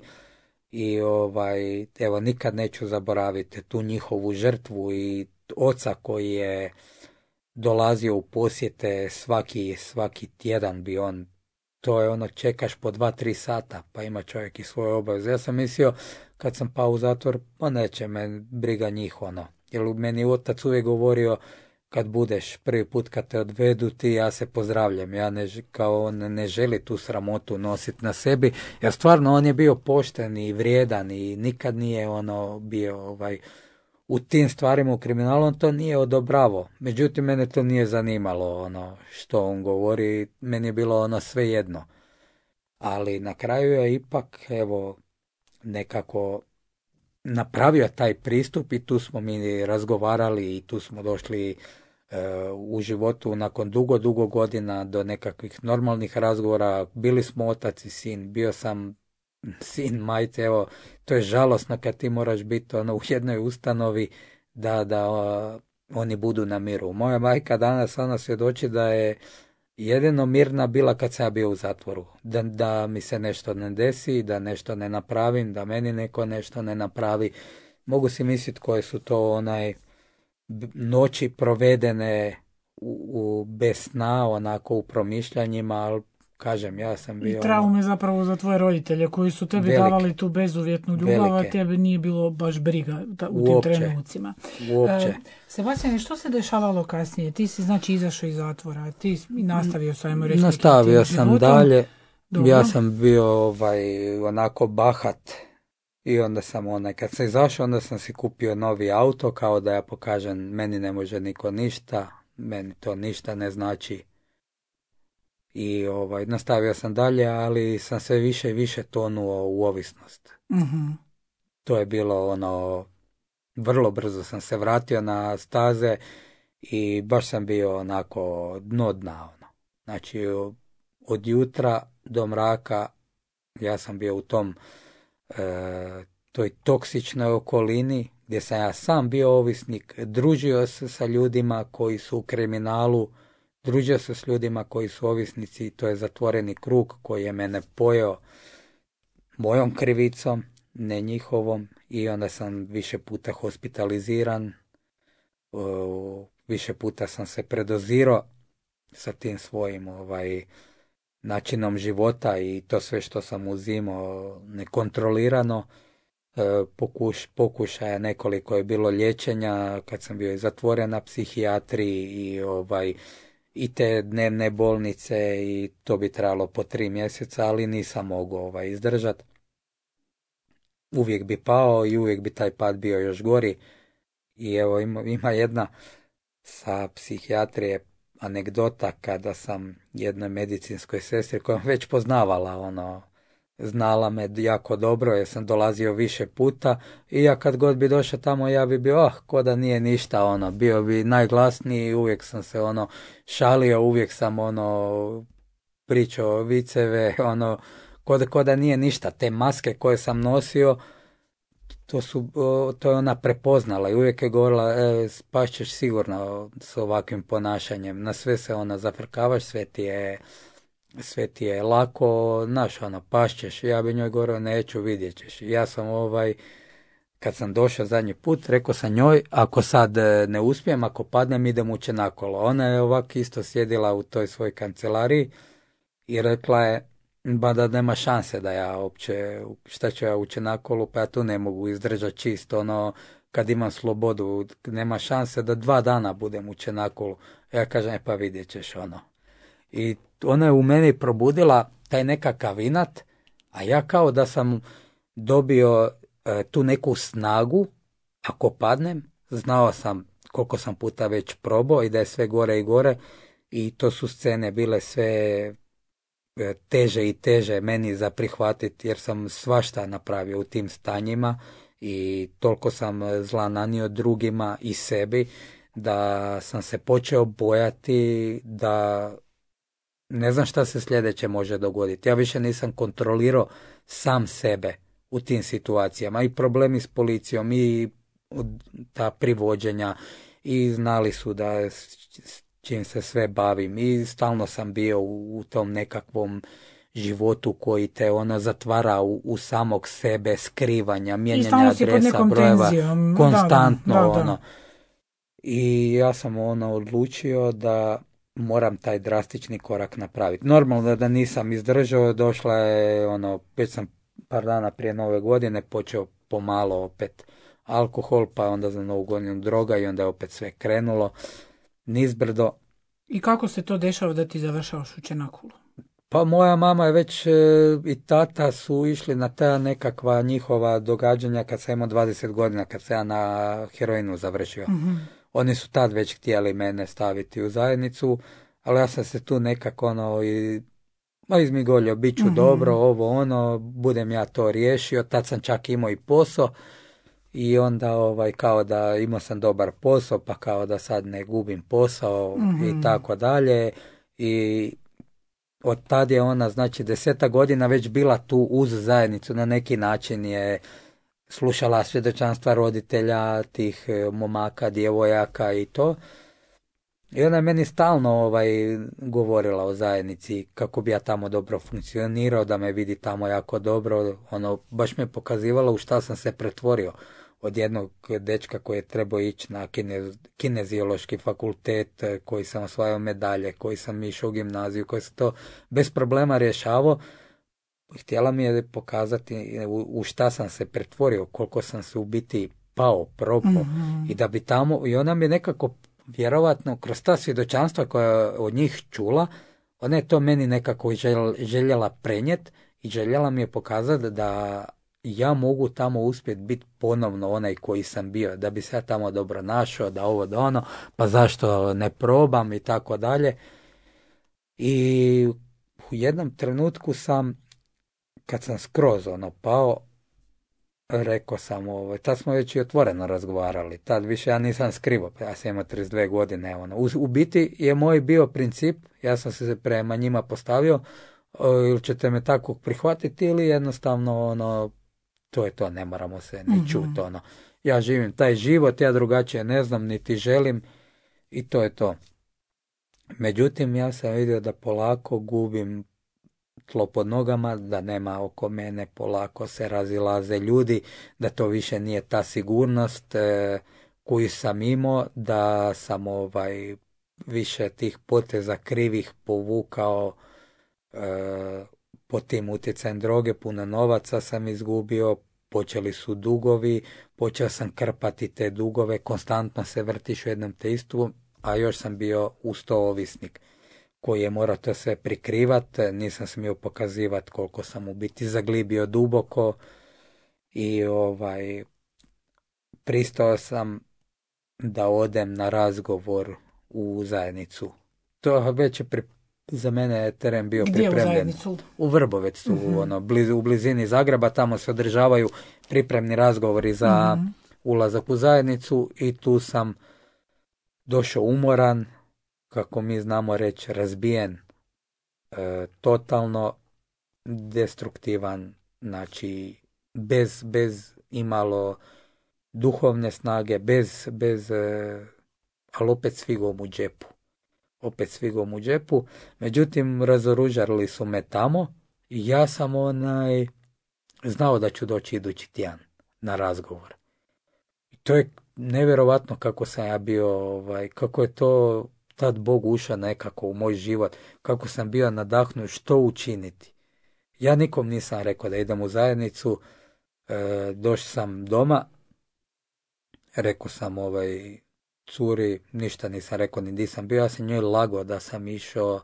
i ovaj, evo, nikad neću zaboraviti tu njihovu žrtvu i oca koji je dolazio u posjete svaki, svaki tjedan bi on, to je ono, čekaš po dva, tri sata, pa ima čovjek i svoje obaveze. Ja sam mislio, kad sam pao u zatvor, pa neće me briga njih, ono, jer meni otac uvijek govorio, kad budeš prvi put kad te odvedu ti, ja se pozdravljam, ja ne, kao on ne želi tu sramotu nositi na sebi, jer stvarno on je bio pošten i vrijedan i nikad nije ono bio ovaj, u tim stvarima u kriminalu, on to nije odobravao. Međutim, mene to nije zanimalo ono što on govori, meni je bilo ono svejedno. Ali na kraju je ipak, evo, nekako napravio taj pristup i tu smo mi razgovarali i tu smo došli u životu nakon dugo, dugo godina do nekakvih normalnih razgovora. Bili smo otac i sin, bio sam sin majke, evo, to je žalosno kad ti moraš biti ono, u jednoj ustanovi da, da o, oni budu na miru. Moja majka danas ona svjedoči da je jedino mirna bila kad sam ja bio u zatvoru. Da, da mi se nešto ne desi, da nešto ne napravim, da meni neko nešto ne napravi. Mogu si misliti koje su to onaj noći provedene u, u bez sna, onako u promišljanjima, ali kažem, ja sam bio... I traume zapravo za tvoje roditelje koji su tebi velike, davali tu bezuvjetnu ljubav, a tebi nije bilo baš briga ta, u uopće, tim trenucima. Uopće. E, Sebastian, što se dešavalo kasnije? Ti si znači izašao iz zatvora, ti nastavio sa, ajmo reći, nastavio sam životom. dalje. Dobro. Ja sam bio ovaj, onako bahat i onda sam onaj, kad sam izašao, onda sam si kupio novi auto, kao da ja pokažem, meni ne može niko ništa, meni to ništa ne znači. I ovaj, nastavio sam dalje, ali sam sve više i više tonuo u ovisnost. Mm-hmm. To je bilo ono, vrlo brzo sam se vratio na staze i baš sam bio onako dno dna. Ono. Znači, od jutra do mraka ja sam bio u tom e, toj toksičnoj okolini gdje sam ja sam bio ovisnik, družio se sa ljudima koji su u kriminalu, družio se s ljudima koji su ovisnici, to je zatvoreni krug koji je mene pojeo mojom krivicom, ne njihovom, i onda sam više puta hospitaliziran, o, više puta sam se predozirao sa tim svojim ovaj, načinom života i to sve što sam uzimao nekontrolirano. E, pokuš, pokušaja nekoliko je bilo liječenja kad sam bio zatvoren na psihijatriji i ovaj i te dnevne bolnice i to bi trebalo po tri mjeseca, ali nisam mogao ovaj, izdržati. Uvijek bi pao i uvijek bi taj pad bio još gori. I evo ima, ima jedna sa psihijatrije anegdota kada sam jednoj medicinskoj sestri koja već poznavala ono, znala me jako dobro jer sam dolazio više puta i ja kad god bi došao tamo ja bi bio oh, ko da nije ništa, ono, bio bi najglasniji, uvijek sam se ono šalio, uvijek sam ono pričao viceve, ono ko da, ko da nije ništa. Te maske koje sam nosio, to su to je ona prepoznala i uvijek je govorila e, spašćeš sigurno s ovakvim ponašanjem, na sve se ona zafrkavaš, sve ti je sve ti je lako, znaš, ono, pašćeš. Ja bi njoj govorio, neću, vidjet ćeš. Ja sam ovaj, kad sam došao zadnji put, rekao sam njoj, ako sad ne uspijem, ako padnem, idem uče nakolo. Ona je ovako isto sjedila u toj svojoj kancelariji i rekla je, ba da nema šanse da ja uopće, šta ću ja uče nakolo, pa ja tu ne mogu izdržati čisto, ono, kad imam slobodu, nema šanse da dva dana budem uče nakolo. Ja kažem, pa vidjet ćeš, ono. I ona je u meni probudila taj nekakav inat, a ja kao da sam dobio e, tu neku snagu, ako padnem, znao sam koliko sam puta već probao i da je sve gore i gore i to su scene bile sve e, teže i teže meni za prihvatiti jer sam svašta napravio u tim stanjima i toliko sam zla nanio drugima i sebi da sam se počeo bojati da ne znam šta se sljedeće može dogoditi. Ja više nisam kontrolirao sam sebe u tim situacijama. I problemi s policijom, i ta privođenja, i znali su da s čim se sve bavim. I stalno sam bio u, u tom nekakvom životu koji te ono zatvara u, u samog sebe, skrivanja, mijenjanja adresa, brojeva, tenzijom. Konstantno. Da, da, da, da. Ono. I ja sam ono odlučio da moram taj drastični korak napraviti. Normalno da nisam izdržao, došla je, ono, već sam par dana prije nove godine počeo pomalo opet alkohol, pa onda za novu godinu droga i onda je opet sve krenulo nizbrdo. I kako se to dešava da ti završavaš u Čenakulu? Pa moja mama je već e, i tata su išli na ta nekakva njihova događanja kad sam imao dvadeset godina, kad sam ja na heroinu završio. Mm-hmm. Oni su tad već htjeli mene staviti u zajednicu, ali ja sam se tu nekako ono i ma izmigolio, bit ću mm-hmm. dobro, ovo ono, budem ja to riješio. Tad sam čak imao i posao i onda ovaj kao da imao sam dobar posao, pa kao da sad ne gubim posao mm-hmm. i tako dalje. I od tad je ona, znači deseta godina već bila tu uz zajednicu, na neki način je slušala svjedočanstva roditelja, tih momaka, djevojaka i to. I ona je meni stalno ovaj, govorila o zajednici, kako bi ja tamo dobro funkcionirao, da me vidi tamo jako dobro. Ono, baš me pokazivala u šta sam se pretvorio. Od jednog dečka koji je trebao ići na kinez, kineziološki fakultet, koji sam osvajao medalje, koji sam išao u gimnaziju, koji sam to bez problema rješavao. Htjela mi je pokazati u, u šta sam se pretvorio, koliko sam se u biti pao, propao. Mm-hmm. I da bi tamo, i ona mi nekako vjerovatno kroz ta svjedočanstva koja je od njih čula, ona je to meni nekako željela prenijeti i željela mi je pokazati da ja mogu tamo uspjeti biti ponovno onaj koji sam bio, da bi se ja tamo dobro našao, da ovo da ono, pa zašto ne probam i tako dalje. I u jednom trenutku sam, kad sam skroz ono pao, rekao sam, ovo, tad smo već i otvoreno razgovarali, tad više ja nisam skrivao, ja sam imao trideset dvije godine. Ono. U, u biti je moj bio princip, ja sam se prema njima postavio, ili ćete me tako prihvatiti ili jednostavno ono, to je to, ne moramo se ni čuti. Mm-hmm. Ono. Ja živim taj život, ja drugačije ne znam, niti želim i to je to. Međutim, ja sam vidio da polako gubim tlo pod nogama, da nema oko mene, polako se razilaze ljudi, da to više nije ta sigurnost e, koju sam imao, da sam ovaj više tih poteza krivih povukao e, pod tim utjecajem droge, puno novaca sam izgubio, počeli su dugovi, počeo sam krpati te dugove, konstantno se vrtiš u jednom te istu, a još sam bio uz to ovisnik koji je morao to sve prikrivati, nisam smio pokazivati koliko sam u biti zaglibio duboko i ovaj pristao sam da odem na razgovor u zajednicu. To već je pri, za mene je teren bio Gdje pripremljen. U zajednicu? U Vrbovcu, uh-huh. ono, blizu, u blizini Zagreba, tamo se održavaju pripremni razgovori za uh-huh. ulazak u zajednicu i tu sam došao umoran, kako mi znamo reći, razbijen, e, totalno destruktivan, znači bez, bez imalo duhovne snage, bez, bez e, ali opet s figom u džepu. Opet s figom u džepu. Međutim, razoružali su me tamo i ja sam onaj znao da ću doći idući tjedan na razgovor. I to je nevjerovatno kako sam ja bio, ovaj, kako je to tad Bog ušao nekako u moj život, kako sam bio nadahnut što učiniti. Ja nikom nisam rekao da idem u zajednicu, e, došao sam doma, rekao sam ovaj curi, ništa nisam rekao, ni nisam bio, ja sam njoj lagao da sam išao,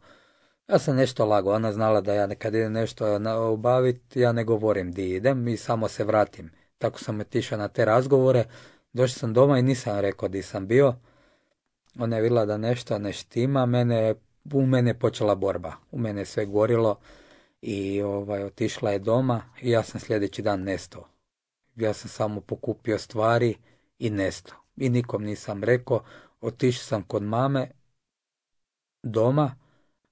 ja sam nešto lagao, ona znala da ja kad idem nešto obaviti, ja ne govorim di idem i samo se vratim. Tako sam otišao na te razgovore, došao sam doma i nisam rekao di sam bio. Ona je vidjela da nešto ne štima, mene, u mene je počela borba, u mene je sve gorilo i ovaj, otišla je doma i ja sam sljedeći dan nestao. Ja sam samo pokupio stvari i nestao. I nikom nisam rekao, otišao sam kod mame doma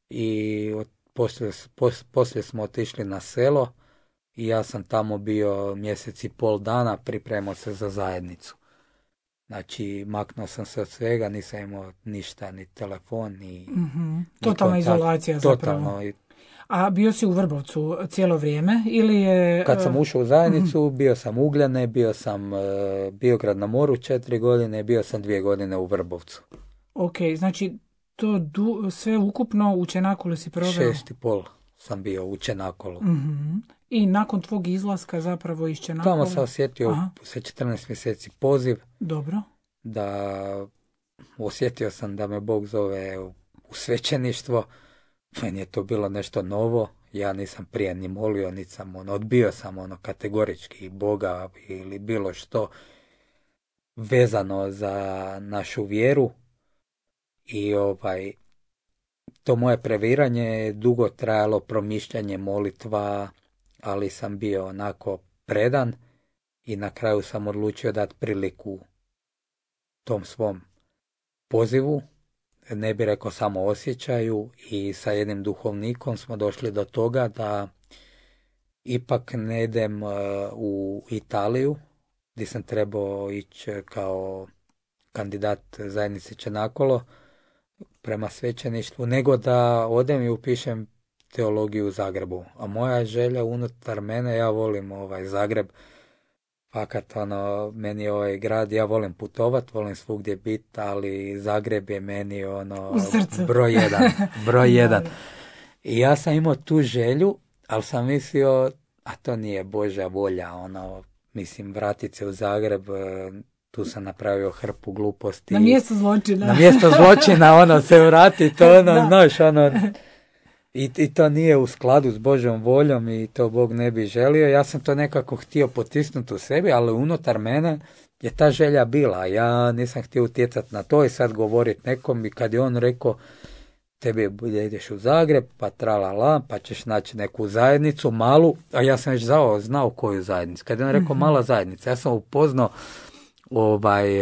i od, poslije, pos, poslije smo otišli na selo i ja sam tamo bio mjesec i pol dana, pripremao se za zajednicu. Znači, maknuo sam se od svega, nisam imao ništa, ni telefon, ni... Mm-hmm. Totalna izolacija zapravo. Totalno. A bio si u Vrbovcu cijelo vrijeme ili je... Kad sam ušao u zajednicu, mm-hmm. bio sam Ugljane, bio sam uh, Biograd na moru četiri godine, bio sam dvije godine u Vrbovcu. Ok, znači to du, sve ukupno u Čenakolu si proveo? Šest i pol sam bio u Čenakolu. Mm-hmm. I nakon tvog izlaska zapravo iz Čenakolu? Tamo sam osjetio Aha. sa četrnaest mjeseci poziv. Dobro. Da osjetio sam da me Bog zove u svećeništvo. Meni je to bilo nešto novo. Ja nisam prije ni molio, niti sam ono, odbio sam ono kategorički Boga ili bilo što vezano za našu vjeru. I ovaj to moje previranje je dugo trajalo, promišljanje, molitva, ali sam bio onako predan i na kraju sam odlučio dati priliku tom svom pozivu, ne bi rekao samo osjećaju, i sa jednim duhovnikom smo došli do toga da ipak ne idem uh, u Italiju, gdje sam trebao ići kao kandidat zajednice Čenakolo prema svećeništvu, nego da odem i upišem teologiju u Zagrebu. A moja želja unutar mene, ja volim ovaj Zagreb, fakat ono, meni je ovaj grad, ja volim putovat, volim svugdje biti, ali Zagreb je meni ono broj jedan, broj jedan. I ja sam imao tu želju, ali sam mislio, a to nije Božja volja, ono, mislim, vratit se u Zagreb, tu sam napravio hrpu gluposti. Na mjesto zločina. Na mjesto zločina, ono, se vrati, to ono, znaš, ono, i, i to nije u skladu s Božjom voljom i to Bog ne bi želio. Ja sam to nekako htio potisnuti u sebi, ali unutar mene je ta želja bila. Ja nisam htio utjecati na to i sad govoriti nekom, i kad je on rekao, tebi bude ideš u Zagreb, pa tralala, pa ćeš naći neku zajednicu malu, a ja sam već znao, znao koju zajednicu. Kad je on rekao mala zajednica, ja sam upoznao ovaj,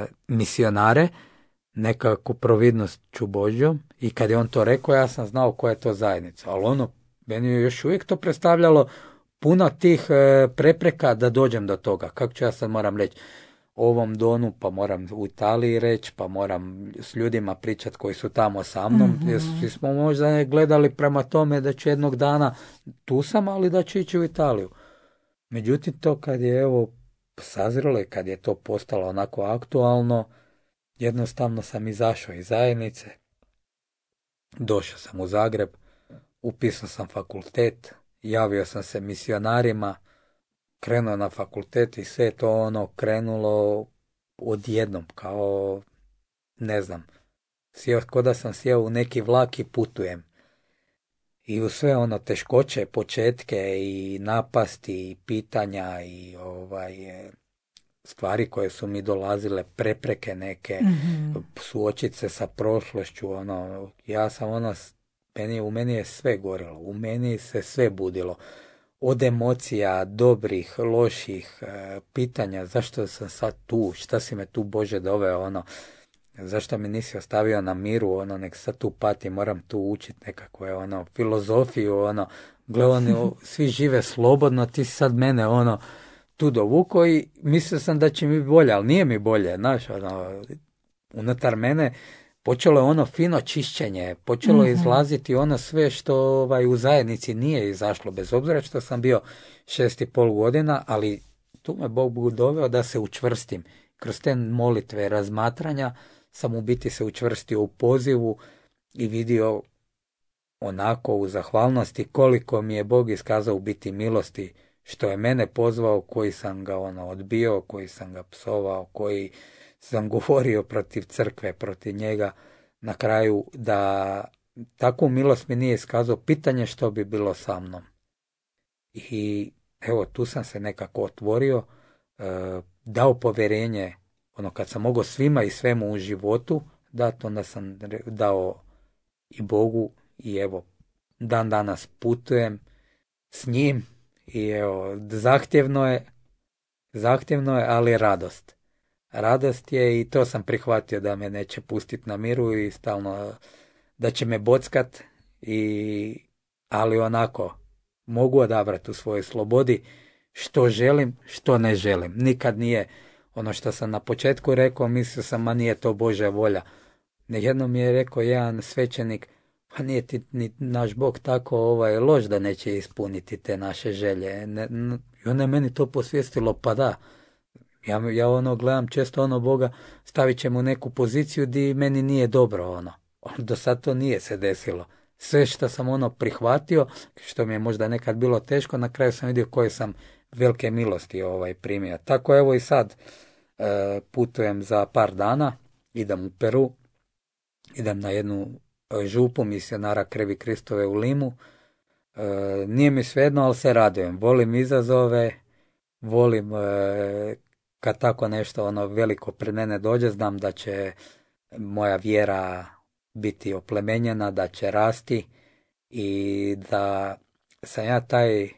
e, misionare, nekakvu providnošću Božjom, i kad je on to rekao, ja sam znao koja je to zajednica. Ali ono, meni je još uvijek to predstavljalo puno tih e, prepreka da dođem do toga. Kako ću ja sad moram reći ovom donu, pa moram u Italiji reći, pa moram s ljudima pričati koji su tamo sa mnom, mm-hmm. jer svi smo možda gledali prema tome da ću jednog dana, tu sam, ali da ću ići u Italiju. Međutim, to kad je evo sazrelo i kad je to postalo onako aktualno, jednostavno sam izašao iz zajednice, došao sam u Zagreb, upisao sam fakultet, javio sam se misionarima, krenuo na fakultet i sve to ono krenulo odjednom, kao ne znam, sjeo, ko da sam sjeo u neki vlak i putujem. I u sve ono teškoće, početke i napasti i pitanja i ovaj stvari koje su mi dolazile, prepreke neke, mm-hmm. suočiti se sa prošlošću, ono, ja sam ono, meni, u meni je sve gorilo, u meni se sve budilo. Od emocija, dobrih, loših, e, pitanja, zašto sam sad tu, šta si me tu Bože doveo, ono, zašto me nisi ostavio na miru, ono, nek sad tu pati, moram tu učiti nekakvu, ono, filozofiju, ono, gle, oni, svi žive slobodno, ti si sad mene, ono, tu dovuko i mislio sam da će mi bolje, ali nije mi bolje, znaš, ono, unutar mene počelo je ono fino čišćenje, počelo je mm-hmm. izlaziti ono sve što ovaj, u zajednici nije izašlo, bez obzira što sam bio šest i pol godina, ali tu me Bog doveo da se učvrstim. Kroz te molitve, razmatranja sam u biti se učvrstio u pozivu i vidio onako u zahvalnosti koliko mi je Bog iskazao u biti milosti, što je mene pozvao, koji sam ga ono odbio, koji sam ga psovao, koji sam govorio protiv crkve, protiv njega, na kraju da takvu milost mi nije iskazao, pitanje što bi bilo sa mnom. I evo, tu sam se nekako otvorio, e, dao povjerenje, ono kad sam mogao svima i svemu u životu dati, onda sam dao i Bogu i evo, dan danas putujem s njim i evo, zahtjevno je, zahtjevno je, ali radost. Radost je i to sam prihvatio da me neće pustiti na miru i stalno da će me bockat, i, ali onako mogu odabrati u svojoj slobodi što želim, što ne želim. Nikad nije ono što sam na početku rekao, mislio sam, ma nije to Božja volja. Jednom mi je rekao jedan svećenik, pa nije ti ni naš Bog tako ovaj, loš da neće ispuniti te naše želje. Ne, n- I onda je meni to posvijestilo, pa da. Ja, ja ono gledam često ono Boga, stavit će mu neku poziciju di meni nije dobro ono. Do sad to nije se desilo. Sve što sam ono prihvatio, što mi je možda nekad bilo teško, na kraju sam vidio koje sam velike milosti ovaj primio. Tako evo i sad e, putujem za par dana, idem u Peru, idem na jednu župu misionara Krvi Kristove u Limu. E, nije mi svejedno, ali se radujem. Volim izazove, volim e, kad tako nešto ono veliko pred mene dođe, znam da će moja vjera biti oplemenjena, da će rasti i da sam ja taj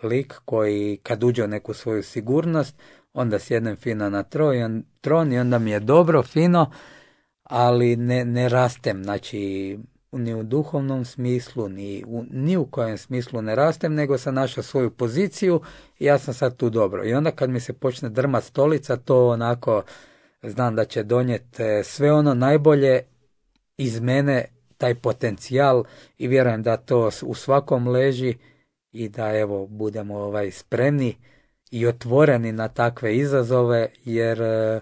lik koji kad uđe u neku svoju sigurnost, onda sjednem fino na tron i onda mi je dobro, fino, ali ne, ne rastem, znači ni u duhovnom smislu, ni u, ni u kojem smislu ne rastem, nego sam našao svoju poziciju i ja sam sad tu dobro. I onda kad mi se počne drmat stolica, to onako znam da će donijeti sve ono najbolje iz mene, taj potencijal, i vjerujem da to u svakom leži i da evo budemo ovaj spremni i otvoreni na takve izazove, jer e,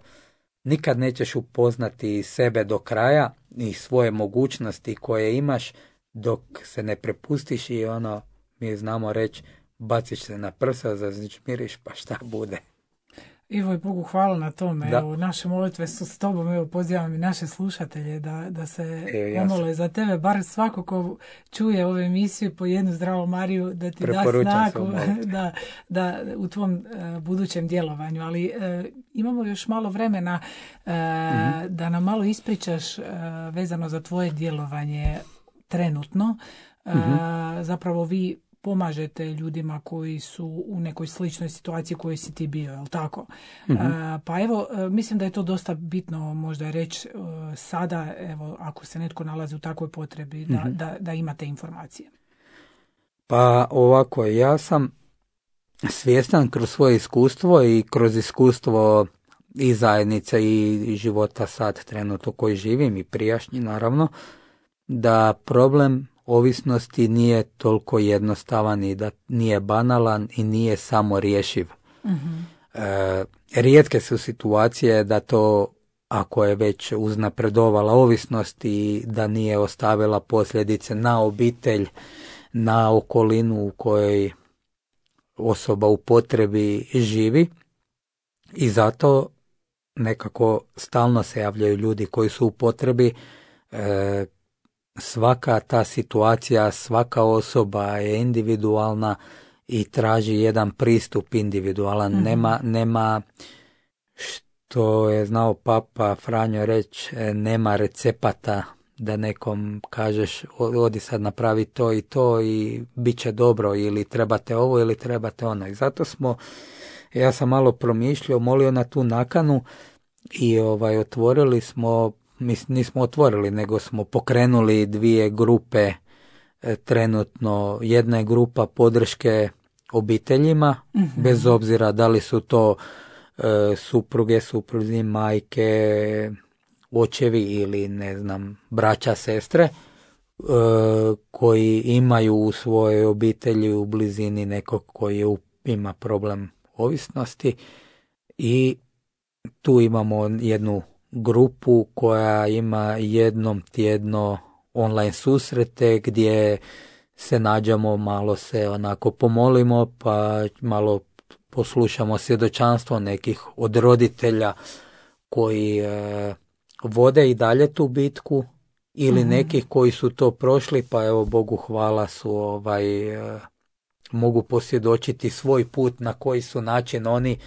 nikad nećeš upoznati sebe do kraja i svoje mogućnosti koje imaš dok se ne prepustiš i ono, mi znamo reći, baciš se na prsa, zažmiriš pa šta bude. Ivo, i Bogu hvala na tome. Da. Evo, naše molitve su s tobom. Evo, pozivam i naše slušatelje da, da se Evo, ja omole za tebe. Bar svako ko čuje ove emisije po jednu zdravu Mariju, da ti da Preporučam se snagu omoliti. da, da u tvom uh, budućem djelovanju. Ali uh, imamo još malo vremena uh, mm-hmm. da nam malo ispričaš uh, vezano za tvoje djelovanje trenutno. Uh, mm-hmm. Zapravo vi pomažete ljudima koji su u nekoj sličnoj situaciji kojoj si ti bio, je li tako? Mm-hmm. Uh, pa evo, uh, mislim da je to dosta bitno možda reći uh, sada, evo, ako se netko nalazi u takvoj potrebi, da, mm-hmm. da, da imate informacije. Pa ovako, ja sam svjestan kroz svoje iskustvo i kroz iskustvo i zajednice i života sad trenutno koji živim i prijašnji naravno, da problem ovisnosti nije toliko jednostavan i da nije banalan i nije samo rješiv. Mm-hmm. E, rijetke su situacije da to, ako je već uznapredovala ovisnost i da nije ostavila posljedice na obitelj, na okolinu u kojoj osoba u potrebi živi, i zato nekako stalno se javljaju ljudi koji su u potrebi. E, svaka ta situacija, svaka osoba je individualna i traži jedan pristup individualan. Mm-hmm. Nema, nema, što je znao Papa Franjo reći, nema recepata da nekom kažeš odi sad napravi to i to i bit će dobro, ili trebate ovo ili trebate ono. I zato smo, ja sam malo promišljao, molio na tu nakanu i ovaj otvorili smo, mislim nismo otvorili, nego smo pokrenuli dvije grupe e, trenutno. Jedna je grupa podrške obiteljima, mm-hmm. bez obzira da li su to e, supruge, supruzi, majke, očevi ili ne znam, braća, sestre, e, koji imaju u svojoj obitelji u blizini nekog koji je, ima problem ovisnosti, i tu imamo jednu grupu koja ima jednom tjedno online susrete gdje se nađemo, malo se onako pomolimo, pa malo poslušamo svjedočanstvo nekih od roditelja koji e, vode i dalje tu bitku, ili mm-hmm. nekih koji su to prošli, pa evo Bogu hvala su ovaj e, mogu posvjedočiti svoj put na koji su način oni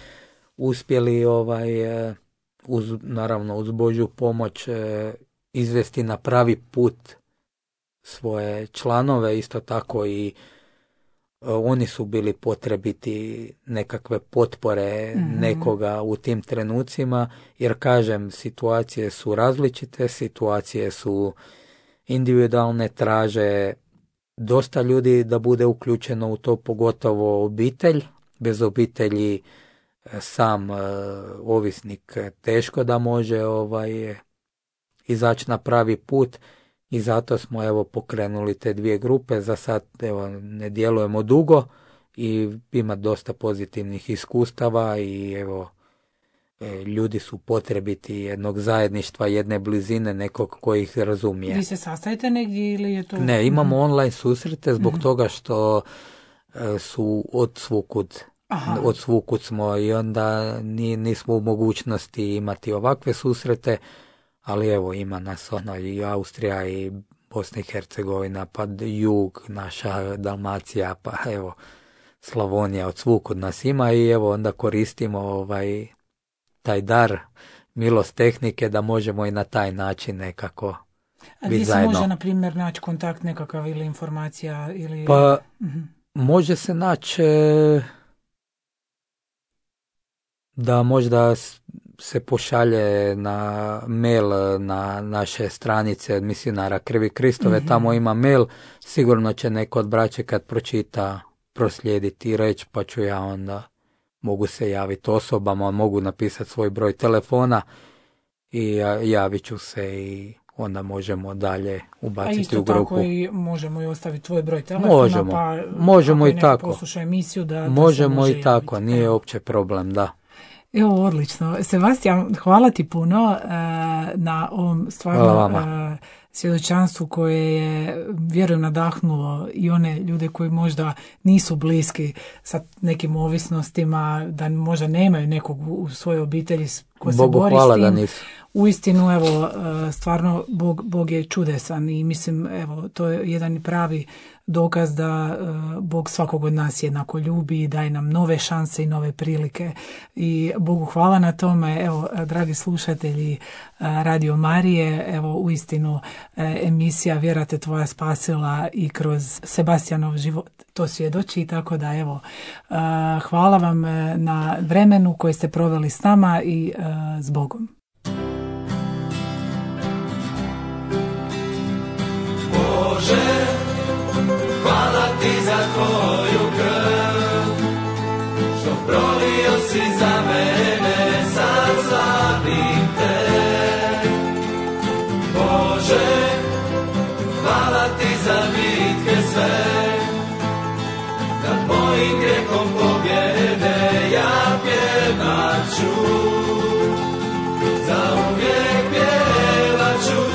uspjeli ovaj e, uz, naravno uz Božju pomoć e, izvesti na pravi put svoje članove. Isto tako i e, oni su bili potrebiti nekakve potpore mm-hmm. nekoga u tim trenucima, jer kažem, situacije su različite, situacije su individualne, traže dosta ljudi da bude uključeno u to, pogotovo obitelj. Bez obitelji sam uh, ovisnik teško da može ovaj izaći na pravi put, i zato smo evo pokrenuli te dvije grupe. Za sad evo ne djelujemo dugo i ima dosta pozitivnih iskustava, i evo e, ljudi su potrebiti jednog zajedništva, jedne blizine, nekog koji ih razumije. Vi se sastajete negdje ili je to? Ne, imamo mm-hmm. online susrete zbog mm-hmm. toga što e, su od svukud Aha. od svukud smo, i onda ni, nismo u mogućnosti imati ovakve susrete, ali evo ima nas ono i Austrija i Bosna i Hercegovina, pa jug, naša Dalmacija, pa evo Slavonija, od svukud nas ima, i evo onda koristimo ovaj taj dar, milost tehnike, da možemo i na taj način nekako A biti gdje se zajedno. može, na primjer, naći kontakt nekakav ili informacija? Ili... Pa mm-hmm. može se naći da možda se pošalje na mail na naše stranice misionara Krvi Kristove, mm-hmm. tamo ima mail, sigurno će neko od braće kad pročita proslijediti i reći, pa ću ja onda, mogu se javiti osobama, mogu napisati svoj broj telefona i javit ću se i onda možemo dalje ubaciti u grupu. A isto tako i možemo i ostaviti tvoj broj telefona, možemo, pa možemo i tako. Posluša emisiju da, da možemo može i tako, javiti. nije uopće problem, da. Evo, odlično. Sebastijan, hvala ti puno uh, na ovom stvarno uh, svjedočanstvu koje je, vjerujem, nadahnulo i one ljude koji možda nisu bliski sa nekim ovisnostima, da možda nemaju nekog u svojoj obitelji ko se Bogu bori hvala s tim. Da nisu. Uistinu, evo, stvarno Bog, Bog je čudesan i mislim, evo, to je jedan pravi dokaz da Bog svakog od nas jednako ljubi i daje nam nove šanse i nove prilike. I Bogu hvala na tome. Evo, dragi slušatelji Radio Marije, evo, uistinu emisija Vjera te tvoja spasila i kroz Sebastijanov život to svjedoči, tako da evo, hvala vam na vremenu koje ste proveli s nama i s Bogom. Bože, hvala ti za tvoju krv, što prolio si za mene, sad slavim te. Bože, hvala ti za bitke sve, nad mojim grijehom pobjede ja pjevat ću, za uvijek pjevat ću.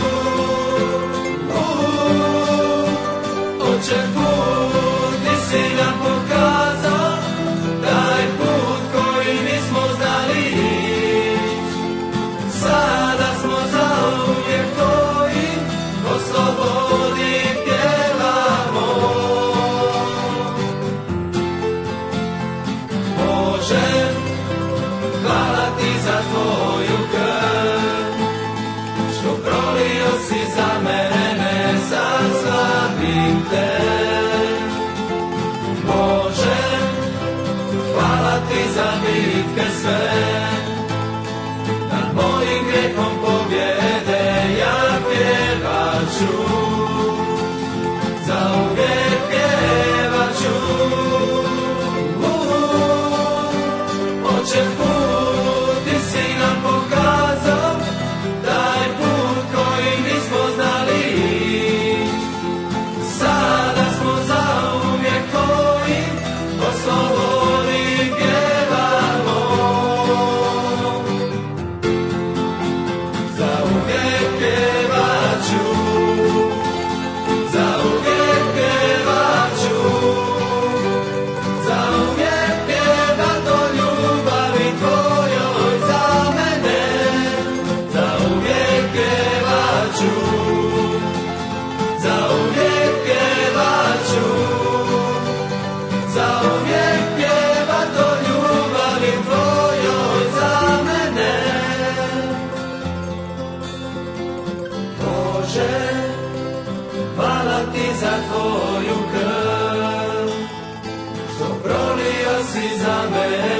Oče put, ti si nam pokazao, taj put koji nismo znali ići. Sada smo zauvijek tvoji, o slobodi pjevamo. Bože, hvala ti za tvoju krv, što prolio si za mene, sad slavim te. Bože, hvala ti za bitke sve, nad mojim grijehom pobjede ja pjevat ću, za uvijek pjevat ću. Oče put, ti si nam pokazao, taj put koji nismo znali ići. Sada smo zauvijek tvoji, o slobodi pjevamo. Zauvijek pjevat ću, zauvijek pjevat ću, zauvijek pjevat o ljubavi tvojoj za mene. Zauvijek pjevat ću, zauvijek pjevat ću, zauvijek pjevat o ljubavi tvojoj za mene. Bože, hvala ti za tvoju krv, što prolio si za mene.